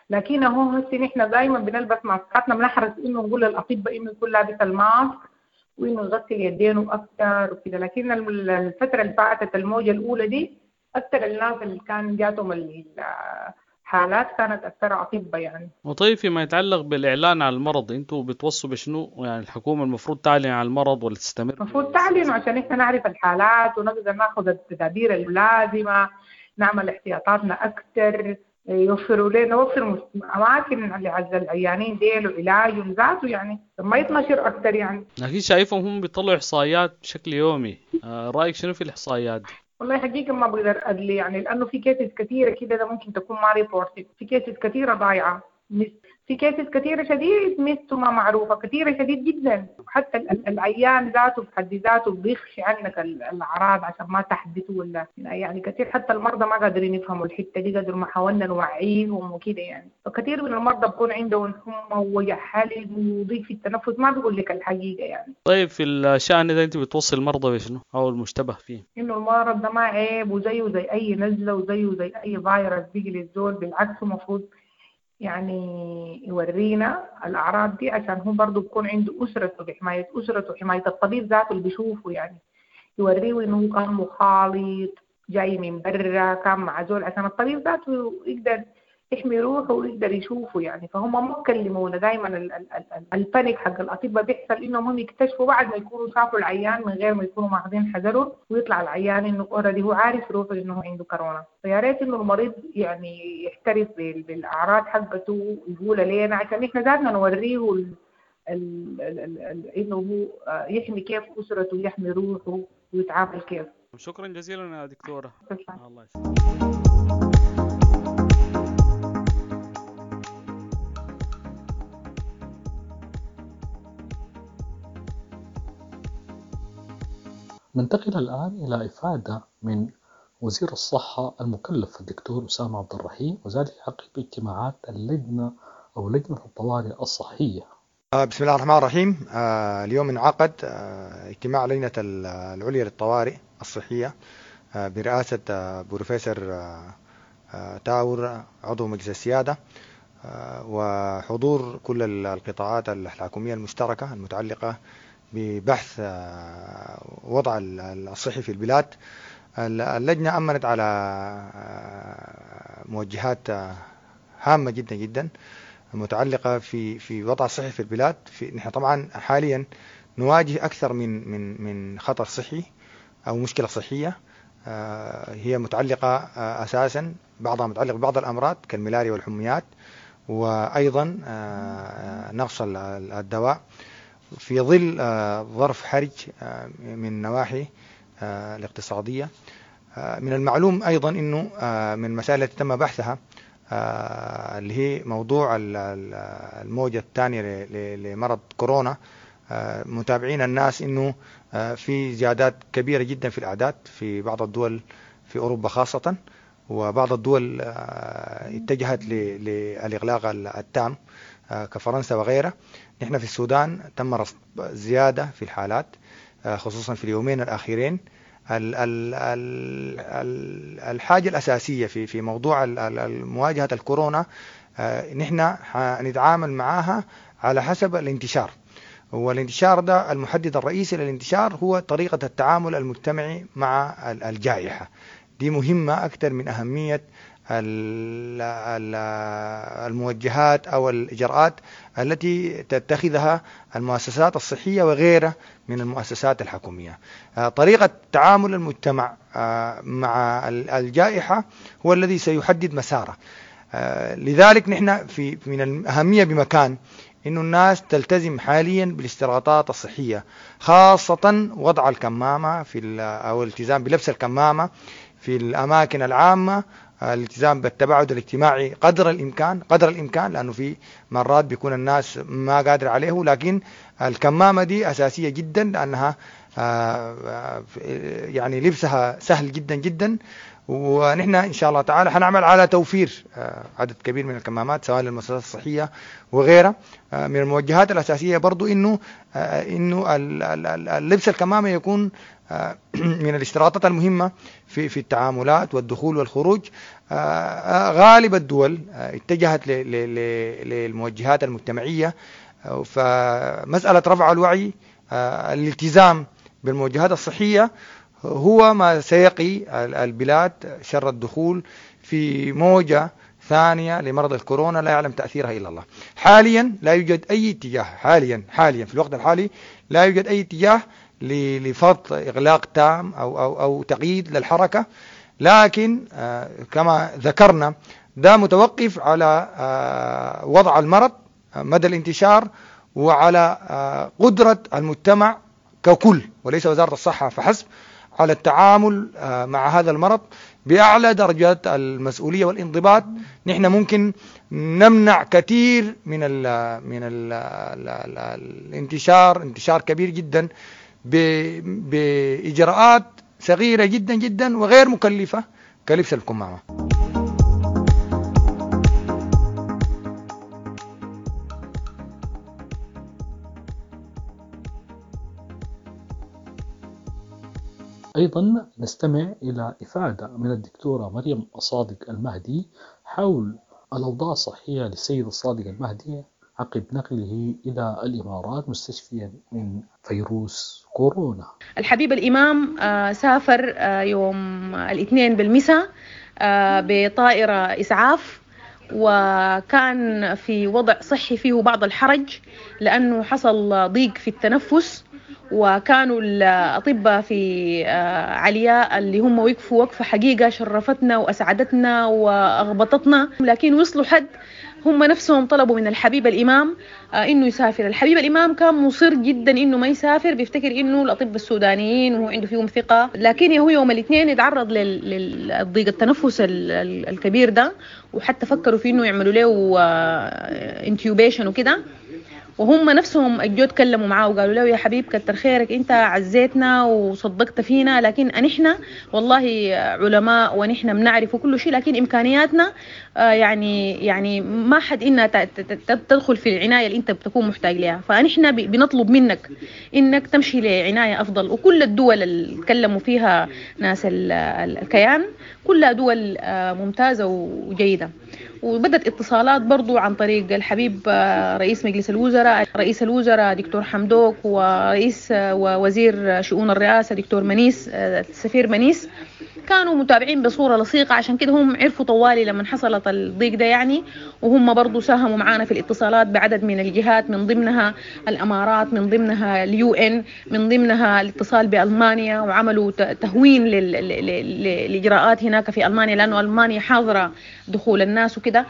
لكن هو هسه نحن دائما بنلبس ماسكاتنا، بنحرص انه نقول للاطباء انه يكون لابس ال mask وانه يغسل يدينه اكثر وكده، لكن الفترة اللي فاتت الموجه الاولى دي اكثر الناس اللي كان جاتهم الحالات كانت اكثر اطباء يعني. وطيب فيما يتعلق بالاعلان عن المرض انتوا بتوصوا بشنو؟ يعني الحكومة المفروض تعلن عن المرض ولا تستمر؟ المفروض تعلن عشان احنا نعرف الحالات ونقدر ناخذ التدابير اللازمة، نعمل احتياطاتنا اكثر، يوفروا لنا نوفر اماكن لعزل العيانين ديل وعلاجهم ذاته يعني ما يتنشر اكثر يعني. لكن شايفهم هم بيطلعوا احصائيات بشكل يومي، آه رايك شنو في الاحصائيات دي؟ والله حقيقة ما بقدر أدلي يعني، لأنه في cases كثيرة كده ده ممكن تكون ما reported، في cases كثيرة ضايعة، في cases كثيرة شديد missed وما معروفة، كثيرة شديد جدا، حتى العيان ذاته بحد ذاته بيخفي عنك الأعراض عشان ما تحدثه ولا يعني كثير، حتى المرضى ما قادرين يفهموا الحتة دي قدر ما حاولنا نوعيهم وكده يعني. فكثير من المرضى بكون عندهم حمى ووجع حلق وضيق في التنفس ما بيقول لك الحقيقة يعني. طيب في الشأن ده أنت بتوصي المرضى بشنو أو المشتبه فيه؟ إنه المرض ده ما عيب، وزيه زي أي نزلة وزيه زي أي فيروس بيجي للزول، بالعكس المفروض يعني يورينا الأعراض دي عشان هو برضو بيكون عنده أسرته، بحماية أسرته وحماية الطبيب ذاته اللي بيشوفه، يعني يوريه إنه كان مخالط جاي من برا كان مع زول عشان الطبيب ذاته يقدر يحمي روحه ويقدر يشوفه يعني. فهم ما بكلمونا دائما، ال panic حق الاطباء بيحصل انهم هم يكتشفوا بعد ما يكونوا شافوا العيان من غير ما يكونوا ماخذين حذرهم، ويطلع العيان انه already هو عارف روحه انه عنده كورونا. فيا ريت انه المريض يعني يحترس بالاعراض حقته ويقولها لنا عشان احنا ذاتنا نوريه ال ال ال ال انه هو يحمي كيف اسرته ويحمي روحه ويتعامل كيف. شكرا جزيلا يا دكتورة. الله يسلمك. ننتقل الآن إلى إفادة من وزير الصحة المكلف الدكتور أسامة عبد الرحيم، وذلك عقب اجتماعات اللجنة أو لجنة الطوارئ الصحية. بسم الله الرحمن الرحيم. اليوم انعقد اجتماع لجنة العليا للطوارئ الصحية برئاسة بروفيسور تاور عضو مجلس السيادة، وحضور كل القطاعات الحكومية المشتركة المتعلقة ببحث وضع الصحي في البلاد. اللجنة أمنت على موجهات هامة جدا جدا متعلقة في في وضع الصحي في البلاد. في نحن طبعا حاليا نواجه أكثر من من من خطر صحي أو مشكلة صحية هي متعلقة أساسا، بعضها متعلق ببعض الأمراض كالملاريا والحميات، وأيضا نقص الدواء في ظل ظرف حرج من نواحي الاقتصادية. من المعلوم أيضا أنه من المسائل التي تم بحثها اللي هي موضوع الموجة الثانية لمرض كورونا. متابعين الناس أنه في زيادات كبيرة جدا في الأعداد في بعض الدول في أوروبا خاصة، وبعض الدول اتجهت للإغلاق التام كفرنسا وغيرها. نحن في السودان تم رصد زيادة في الحالات خصوصا في اليومين الأخيرين. ال ال ال الحاجة الأساسية في في موضوع مواجهة الكورونا نحن حنتعامل معاها على حسب الانتشار، والانتشار ده المحدد الرئيسي للانتشار هو طريقة التعامل المجتمعي مع الجائحة. دي مهمة أكثر من أهمية الموجهات أو الإجراءات التي تتخذها المؤسسات الصحية وغيرها من المؤسسات الحكومية. طريقة تعامل المجتمع مع الجائحة هو الذي سيحدد مساره. لذلك نحن في من الأهمية بمكان إنه الناس تلتزم حاليا بالاشتراطات الصحية، خاصة وضع الكمامة في أو الالتزام بلبس الكمامة في الأماكن العامة، الالتزام بالتباعد الاجتماعي قدر الإمكان قدر الإمكان، لأنه في مرات بيكون الناس ما قادر عليه، لكن الكمامة دي أساسية جدا لأنها يعني لبسها سهل جدا جدا. ونحن إن شاء الله تعالى حنعمل على توفير عدد كبير من الكمامات سواء للمؤسسات الصحية وغيرها. من الموجهات الأساسية برضو إنه إنه اللبس الكمامة يكون من الاشتراطات المهمة في في التعاملات والدخول والخروج. غالب الدول اتجهت للموجهات المجتمعية، فمسألة رفع الوعي الالتزام بالموجهات الصحية هو ما سيقي البلاد شر الدخول في موجة ثانية لمرض الكورونا لا يعلم تأثيرها إلا الله. حاليا لا يوجد أي اتجاه، حاليا حاليا في الوقت الحالي لا يوجد أي اتجاه لفرض إغلاق تام أو أو أو تقييد للحركة، لكن كما ذكرنا ده متوقف على وضع المرض، مدى الانتشار، وعلى قدرة المجتمع ككل وليس وزارة الصحة فحسب على التعامل مع هذا المرض بأعلى درجات المسؤولية والانضباط. نحن ممكن نمنع كثير من ال من ال ال الانتشار، انتشار كبير جدا بإجراءات صغيرة جدا جدا وغير مكلفة كلبس الكمامة. أيضا نستمع إلى إفادة من الدكتورة مريم الصادق المهدي حول الأوضاع الصحية للسيد الصادق المهدي عقب نقله إلى الإمارات مستشفيا من فيروس كورونا. الحبيب الإمام سافر يوم الاثنين بالمساء بطائرة إسعاف، وكان في وضع صحي فيه بعض الحرج لأنه حصل ضيق في التنفس، وكانوا الأطباء في علياء اللي هم وقفوا وقفة حقيقة شرفتنا وأسعدتنا وأغبطتنا، لكن وصلوا حد هم نفسهم طلبوا من الحبيب الإمام إنه يسافر. الحبيب الإمام كان مصر جدا إنه ما يسافر، بيفتكر إنه الأطباء السودانيين وهو عنده فيهم ثقة، لكن هو يوم الاثنين يتعرض للضيق التنفس الكبير ده، وحتى فكروا في إنه يعملوا له intubation وكده. وهم نفسهم الجو تكلموا معاه وقالوا له يا حبيب كتر خيرك، انت عزيتنا وصدقت فينا، لكن نحن والله علماء ونحن بنعرف كل شيء، لكن امكانياتنا يعني يعني ما حد انها تدخل في العنايه اللي انت بتكون محتاج لها، فنحن بنطلب منك انك تمشي لعنايه افضل. وكل الدول اللي تكلموا فيها ناس الكيان كلها دول ممتازه وجيده. وبدت اتصالات برضو عن طريق الحبيب رئيس مجلس الوزراء، رئيس الوزراء دكتور حمدوك، ورئيس ووزير شؤون الرئاسة دكتور منيس، السفير منيس، كانوا متابعين بصورة لصيقة. عشان كده هم عرفوا طوالي لما حصلت الضيق ده يعني، وهم برضو ساهموا معانا في الاتصالات بعدد من الجهات، من ضمنها الأمارات، من ضمنها ال UN، من ضمنها الاتصال بألمانيا، وعملوا تهوين للإجراءات هناك في ألمانيا لأنه ألمانيا حاضرة دخول الناس وكده.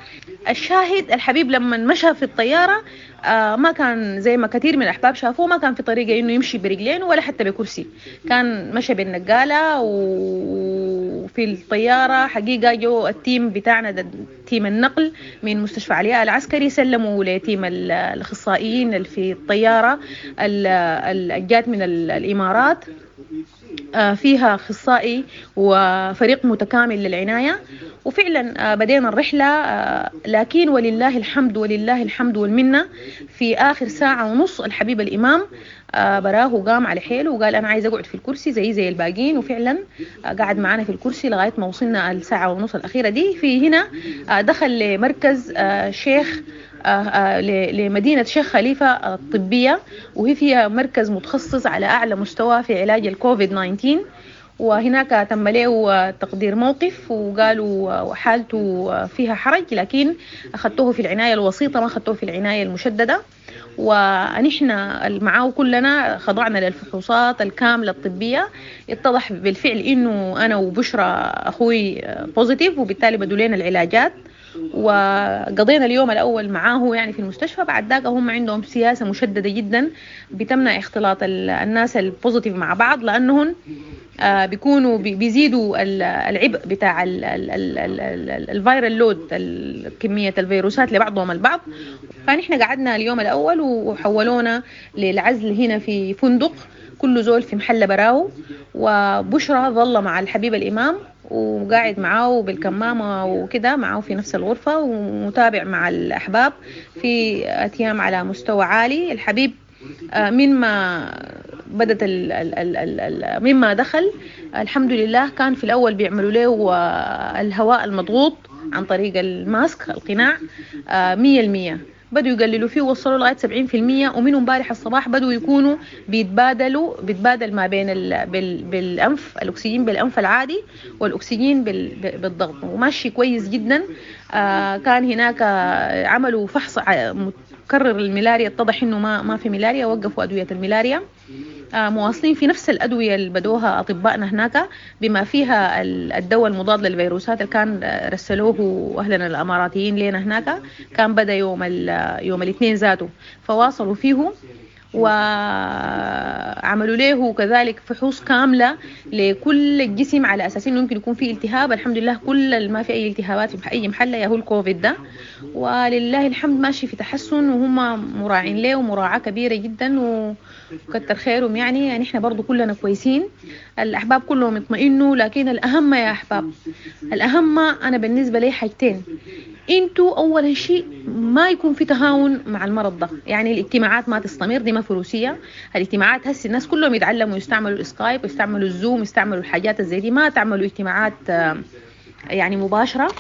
الشاهد الحبيب لما مشى في الطيارة آه ما كان زي ما كثير من الأحباب شافوه، ما كان في طريقة إنه يمشي برجلين ولا حتى بكرسي، كان مشى بالنقالة. وفي الطيارة حقيقة جو ال team بتاعنا ده، team النقل من مستشفى علياء العسكري، سلموا ل team الأخصائيين اللي في الطيارة اللي جات من الإمارات، فيها أخصائي وفريق متكامل للعناية. وفعلا بدينا الرحلة، لكن ولله الحمد ولله الحمد والمنة في آخر ساعة ونص الحبيب الإمام براه قام على حيله وقال أنا عايز أقعد في الكرسي زي زي الباقين، وفعلا قعد معنا في الكرسي لغاية ما وصلنا الساعة ونص الأخيرة دي. في هنا دخل لمركز شيخ لمدينة شيخ خليفة الطبية، وهي فيها مركز متخصص على أعلى مستوى في علاج الكوفيد تسعة عشر، وهناك تم له تقدير موقف وقالوا حالته فيها حرج، لكن أخذتوه في العناية الوسيطة ما أخذتوه في العناية المشددة. ونحن معاه كلنا خضعنا للفحوصات الكاملة الطبية، اتضح بالفعل إنه أنا وبشرى أخوي positive، وبالتالي بدوا لنا العلاجات وقضينا اليوم الأول معاه يعني في المستشفى. بعد ذاك هم عندهم سياسة مشددة جدا بتمنع اختلاط الناس ال positive مع بعض، لأنهم بيكونوا بيزيدوا العبء بتاع ال viral load، كمية الفيروسات لبعضهم البعض. فنحن قعدنا اليوم الأول وحولونا للعزل هنا في فندق، كل زول في محل براو، وبشرى ظل مع الحبيب الإمام وقاعد معاه بالكمامة وكده، معاه في نفس الغرفة ومتابع مع الأحباب في أتيام على مستوى عالي. الحبيب من ما بدت ال ال ال ال مما دخل الحمد لله كان في الأول بيعملوا له الهواء المضغوط عن طريق الماسك القناع مية المية، بدوا يقللوا فيه ووصلوا لغاية سبعين في المية، ومن امبارح الصباح بدوا يكونوا بيتبادلوا بيتبادل ما بين ال بال بالأنف الأكسجين بالأنف العادي والأكسجين بال بالضغط، وماشي كويس جدا. آه كان هناك عملوا فحص متكرر الملاريا، اتضح إنه ما ما في ملاريا، وقفوا أدوية الملاريا. آه مواصلين في نفس الأدوية اللي بدوها أطبائنا هناك، بما فيها الدواء المضاد للفيروسات اللي كان رسلوه أهلنا الأماراتيين لنا هناك، كان بدأ يوم يوم الاثنين ذاته، فواصلوا فيه وعملوا له كذلك فحوص كاملة لكل الجسم على أساس إنه يمكن يكون فيه التهاب. الحمد لله كل ما في أي التهابات في أي محلة يا هو الكوفيد ده، ولله الحمد ماشي في تحسن، وهم مراعين له ومراعاة كبيرة جدا وكتر خيرهم. يعني يعني احنا برضو كلنا كويسين، الأحباب كلهم يطمئنوا. لكن الأهم يا أحباب، الأهم أنا بالنسبة لي حاجتين. انتوا اول شيء ما يكون في تهاون مع المرض ده، يعني الاجتماعات ما تستمر، دي ما فروسيه الاجتماعات. هسه الناس كلهم يتعلموا يستعملوا الاسكايب ويستعملوا الزوم يستعملوا الحاجات زي دي، ما تعملوا اجتماعات يعني مباشره،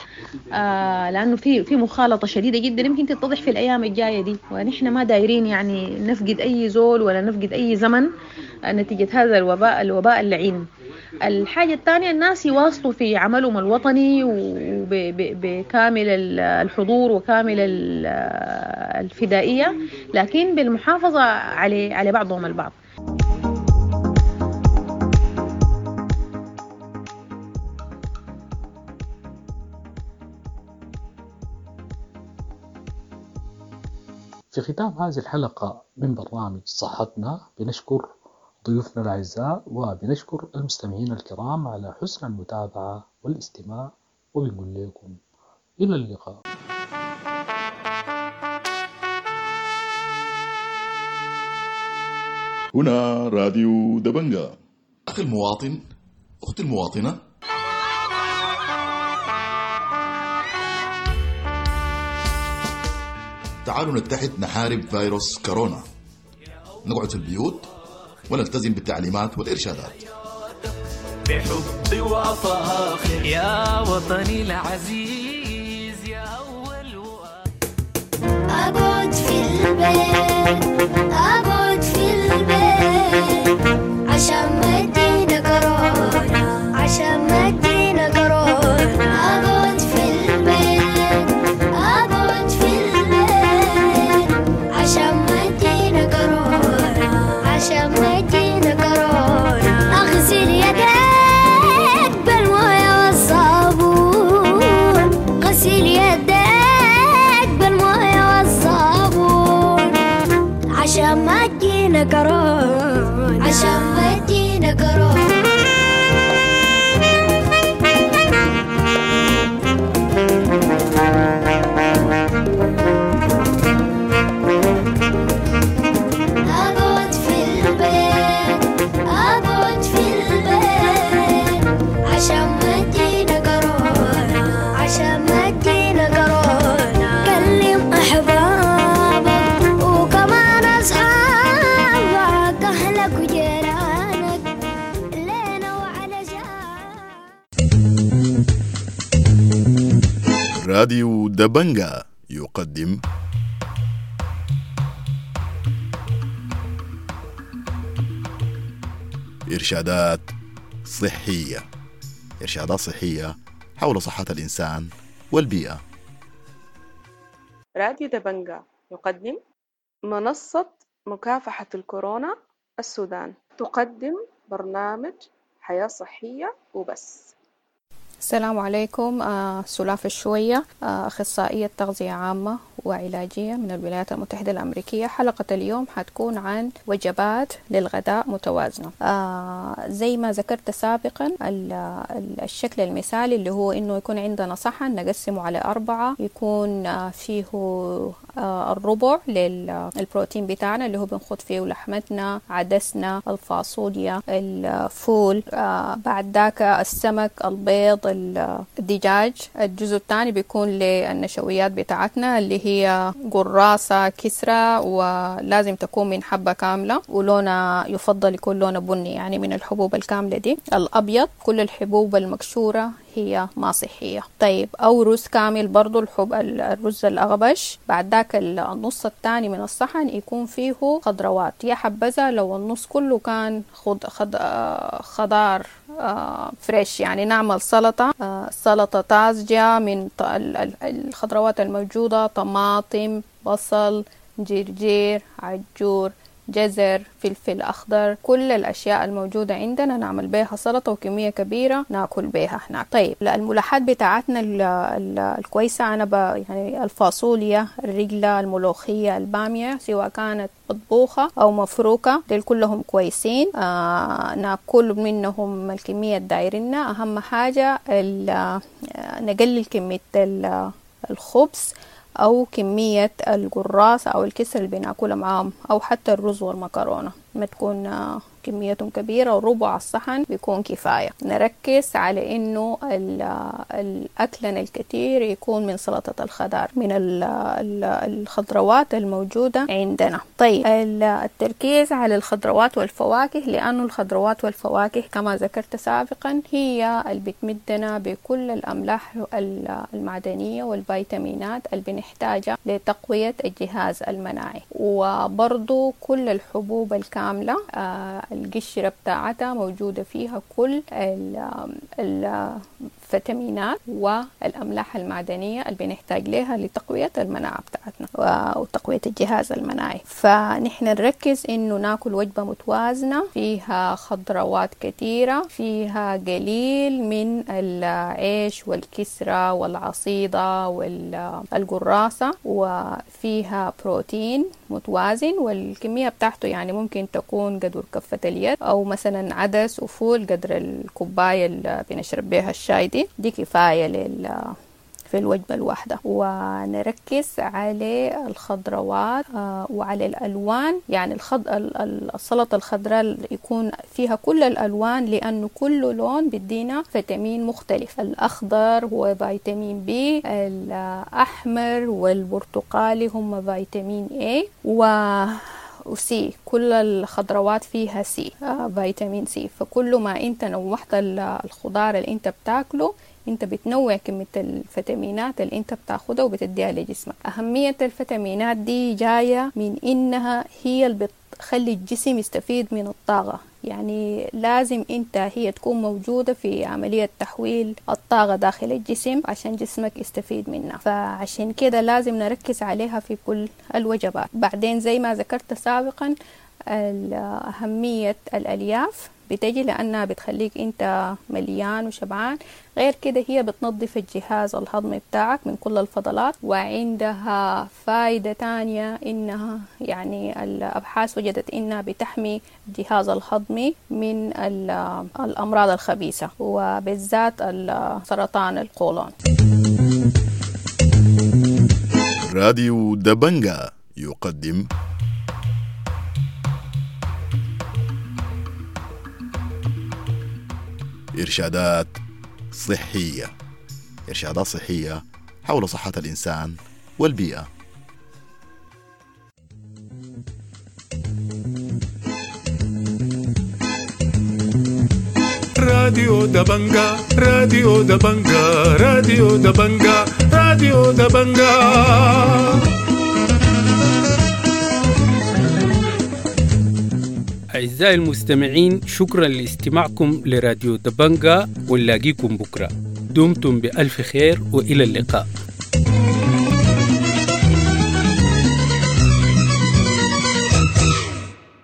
لانه في في مخالطه شديده جدا يمكن تتضح في الايام الجايه دي، ونحن ما دايرين يعني نفقد اي زول ولا نفقد اي زمن نتيجه هذا الوباء الوباء اللعين. الحاجة الثانية الناس يواصلوا في عملهم الوطني وبكامل الحضور وكامل الفدائية، لكن بالمحافظة على على بعضهم البعض. في ختام هذه الحلقة من برنامج صحتنا بنشكر ضيوفنا الأعزاء وبنشكر المستمعين الكرام على حسن المتابعة والاستماع، وبنقول لكم إلى اللقاء. هنا راديو دبنجا. أخي المواطن، أختي المواطنة، تعالوا نتحد نحارب فيروس كورونا، نقعد في البيوت ونلتزم بالتعليمات والإرشادات. بحب وفاخر يا وطني العزيز يا أول أقعد في البيت، أقعد في البيت عشان ما تجينا كورونا، عشان ما تجينا كورونا. أقعد في البيت، أقعد في البيت عشان ما تجينا كورونا، عشان ما تجينا كورونا. أغسل يديك بالموية والصابون، غسل يديك بالموية والصابون عشان ما تجينا كورونا، عشان ما تجينا كورونا. أقعد في البيت، أقعد في البيت عشان ما تجينا كورونا، عشان ما تجينا كورونا. كلم أحبابك وكمان أصحابك، أهلك وجيرانك لينا وعلى راديو دبنجا يقدم إرشادات صحية، إرشادات صحية حول صحة الإنسان والبيئة. راديو دبنجا يقدم منصة مكافحة الكورونا السودان، تقدم برنامج حياة صحية وبس. السلام عليكم. آه، سلاف الشوية، آه، أخصائية تغذية عامة وعلاجية من الولايات المتحدة الأمريكية. حلقة اليوم حتكون عن وجبات للغداء متوازنة. آه، زي ما ذكرت سابقا، ال- ال- الشكل المثالي اللي هو إنه يكون عندنا صحن نقسمه على أربعة، يكون آه، فيه آه، الربع للبروتين بتاعنا اللي هو بنخد فيه لحمتنا، عدسنا، الفاصوليا، الفول، آه، بعد ذاك السمك، البيض، الدجاج. الجزء الثاني بيكون للنشويات بتاعتنا اللي هي قراصة، كسرة، ولازم تكون من حبة كاملة، ولونها يفضل يكون لونه بني، يعني من الحبوب الكاملة دي. الأبيض كل الحبوب المكشورة هي ما صحية. طيب، أو رز كامل برضو، الحب الرز الأغبش. بعد ذاك النص الثاني من الصحن يكون فيه خضروات، يا حبذا لو النص كله كان خض خض خضار فريش، يعني نعمل سلطة، سلطة طازجة من الخضروات الموجودة، طماطم، بصل، جرجير، عجور، جزر، فلفل أخضر، كل الأشياء الموجودة عندنا نعمل بيها سلطة وكمية كبيرة ناكل بيها هناك. طيب، الملحات بتاعتنا ال ال الكويسة، أنا ب يعني الفاصوليا، الرجلة، الملوخية، البامية، سواء كانت مطبوخة أو مفروكة، ديل كلهم كويسين. آه ناكل منهم الكمية الدايرنا. أهم حاجة نقلل كمية الخبز أو كمية القراصة أو الكسر اللي بناكلها معاهم، أو حتى الرز والمكرونة ما تكون كميتهم كبيرة، وربع الصحن بيكون كفاية. نركز على إنه الأكلنا الكثير يكون من سلطة الخضار، من الخضروات الموجودة عندنا. طيب، التركيز على الخضروات والفواكه، لأنه الخضروات والفواكه كما ذكرت سابقا هي اللي بتمدنا بكل الأملاح المعدنية والفيتامينات اللي بنحتاجها لتقوية الجهاز المناعي. وبرضو كل الحبوب الكاملة آه القشرة بتاعتها موجودة فيها كل ال الفيتامينات والأملاح المعدنية اللي بنحتاج لها لتقوية المناعة بتاعتنا وتقوية الجهاز المناعي. فنحن نركز إنه ناكل وجبة متوازنة فيها خضروات كثيرة، فيها قليل من العيش والكسرة والعصيدة والقراصة، وفيها بروتين متوازن والكمية بتاعته يعني ممكن تكون قدر كفة اليد، أو مثلا عدس وفول قدر الكوباية اللي بنشرب بها الشاي، دي دي كفاية لل في الوجبة الواحدة. ونركز على الخضروات وعلى الألوان، يعني الخض... السلطة الخضراء يكون فيها كل الألوان، لأنه كل لون بيدينا فيتامين مختلف. الأخضر هو فيتامين بي، الأحمر والبرتقالي هم فيتامين A و وسي، كل الخضروات فيها سي، آه فيتامين سي. فكل ما انت نوعت الخضار اللي انت بتاكله انت بتنوع كمية الفيتامينات اللي انت بتاخدها وبتديها لجسمك. أهمية الفيتامينات دي جاية من انها هي اللي بتخلي الجسم يستفيد من الطاقة، يعني لازم انت هي تكون موجودة في عملية تحويل الطاقة داخل الجسم عشان جسمك يستفيد منها، فعشان كده لازم نركز عليها في كل الوجبات. بعدين زي ما ذكرت سابقا أهمية الألياف بتجي لأنها بتخليك أنت مليان وشبعان، غير كده هي بتنظف الجهاز الهضمي بتاعك من كل الفضلات، وعندها فايدة تانية إنها يعني الأبحاث وجدت إنها بتحمي الجهاز الهضمي من الأمراض الخبيثة وبالذات سرطان القولون. راديو دبنجا يقدم إرشادات صحية، إرشادات صحية حول صحة الإنسان والبيئة. راديو دبنجا، راديو دبنجا، راديو دبنجا، راديو دبنجا. أعزائي المستمعين، شكرا لاستماعكم لراديو دبنجا، ونلاقيكم بكرة. دمتم بألف خير وإلى اللقاء.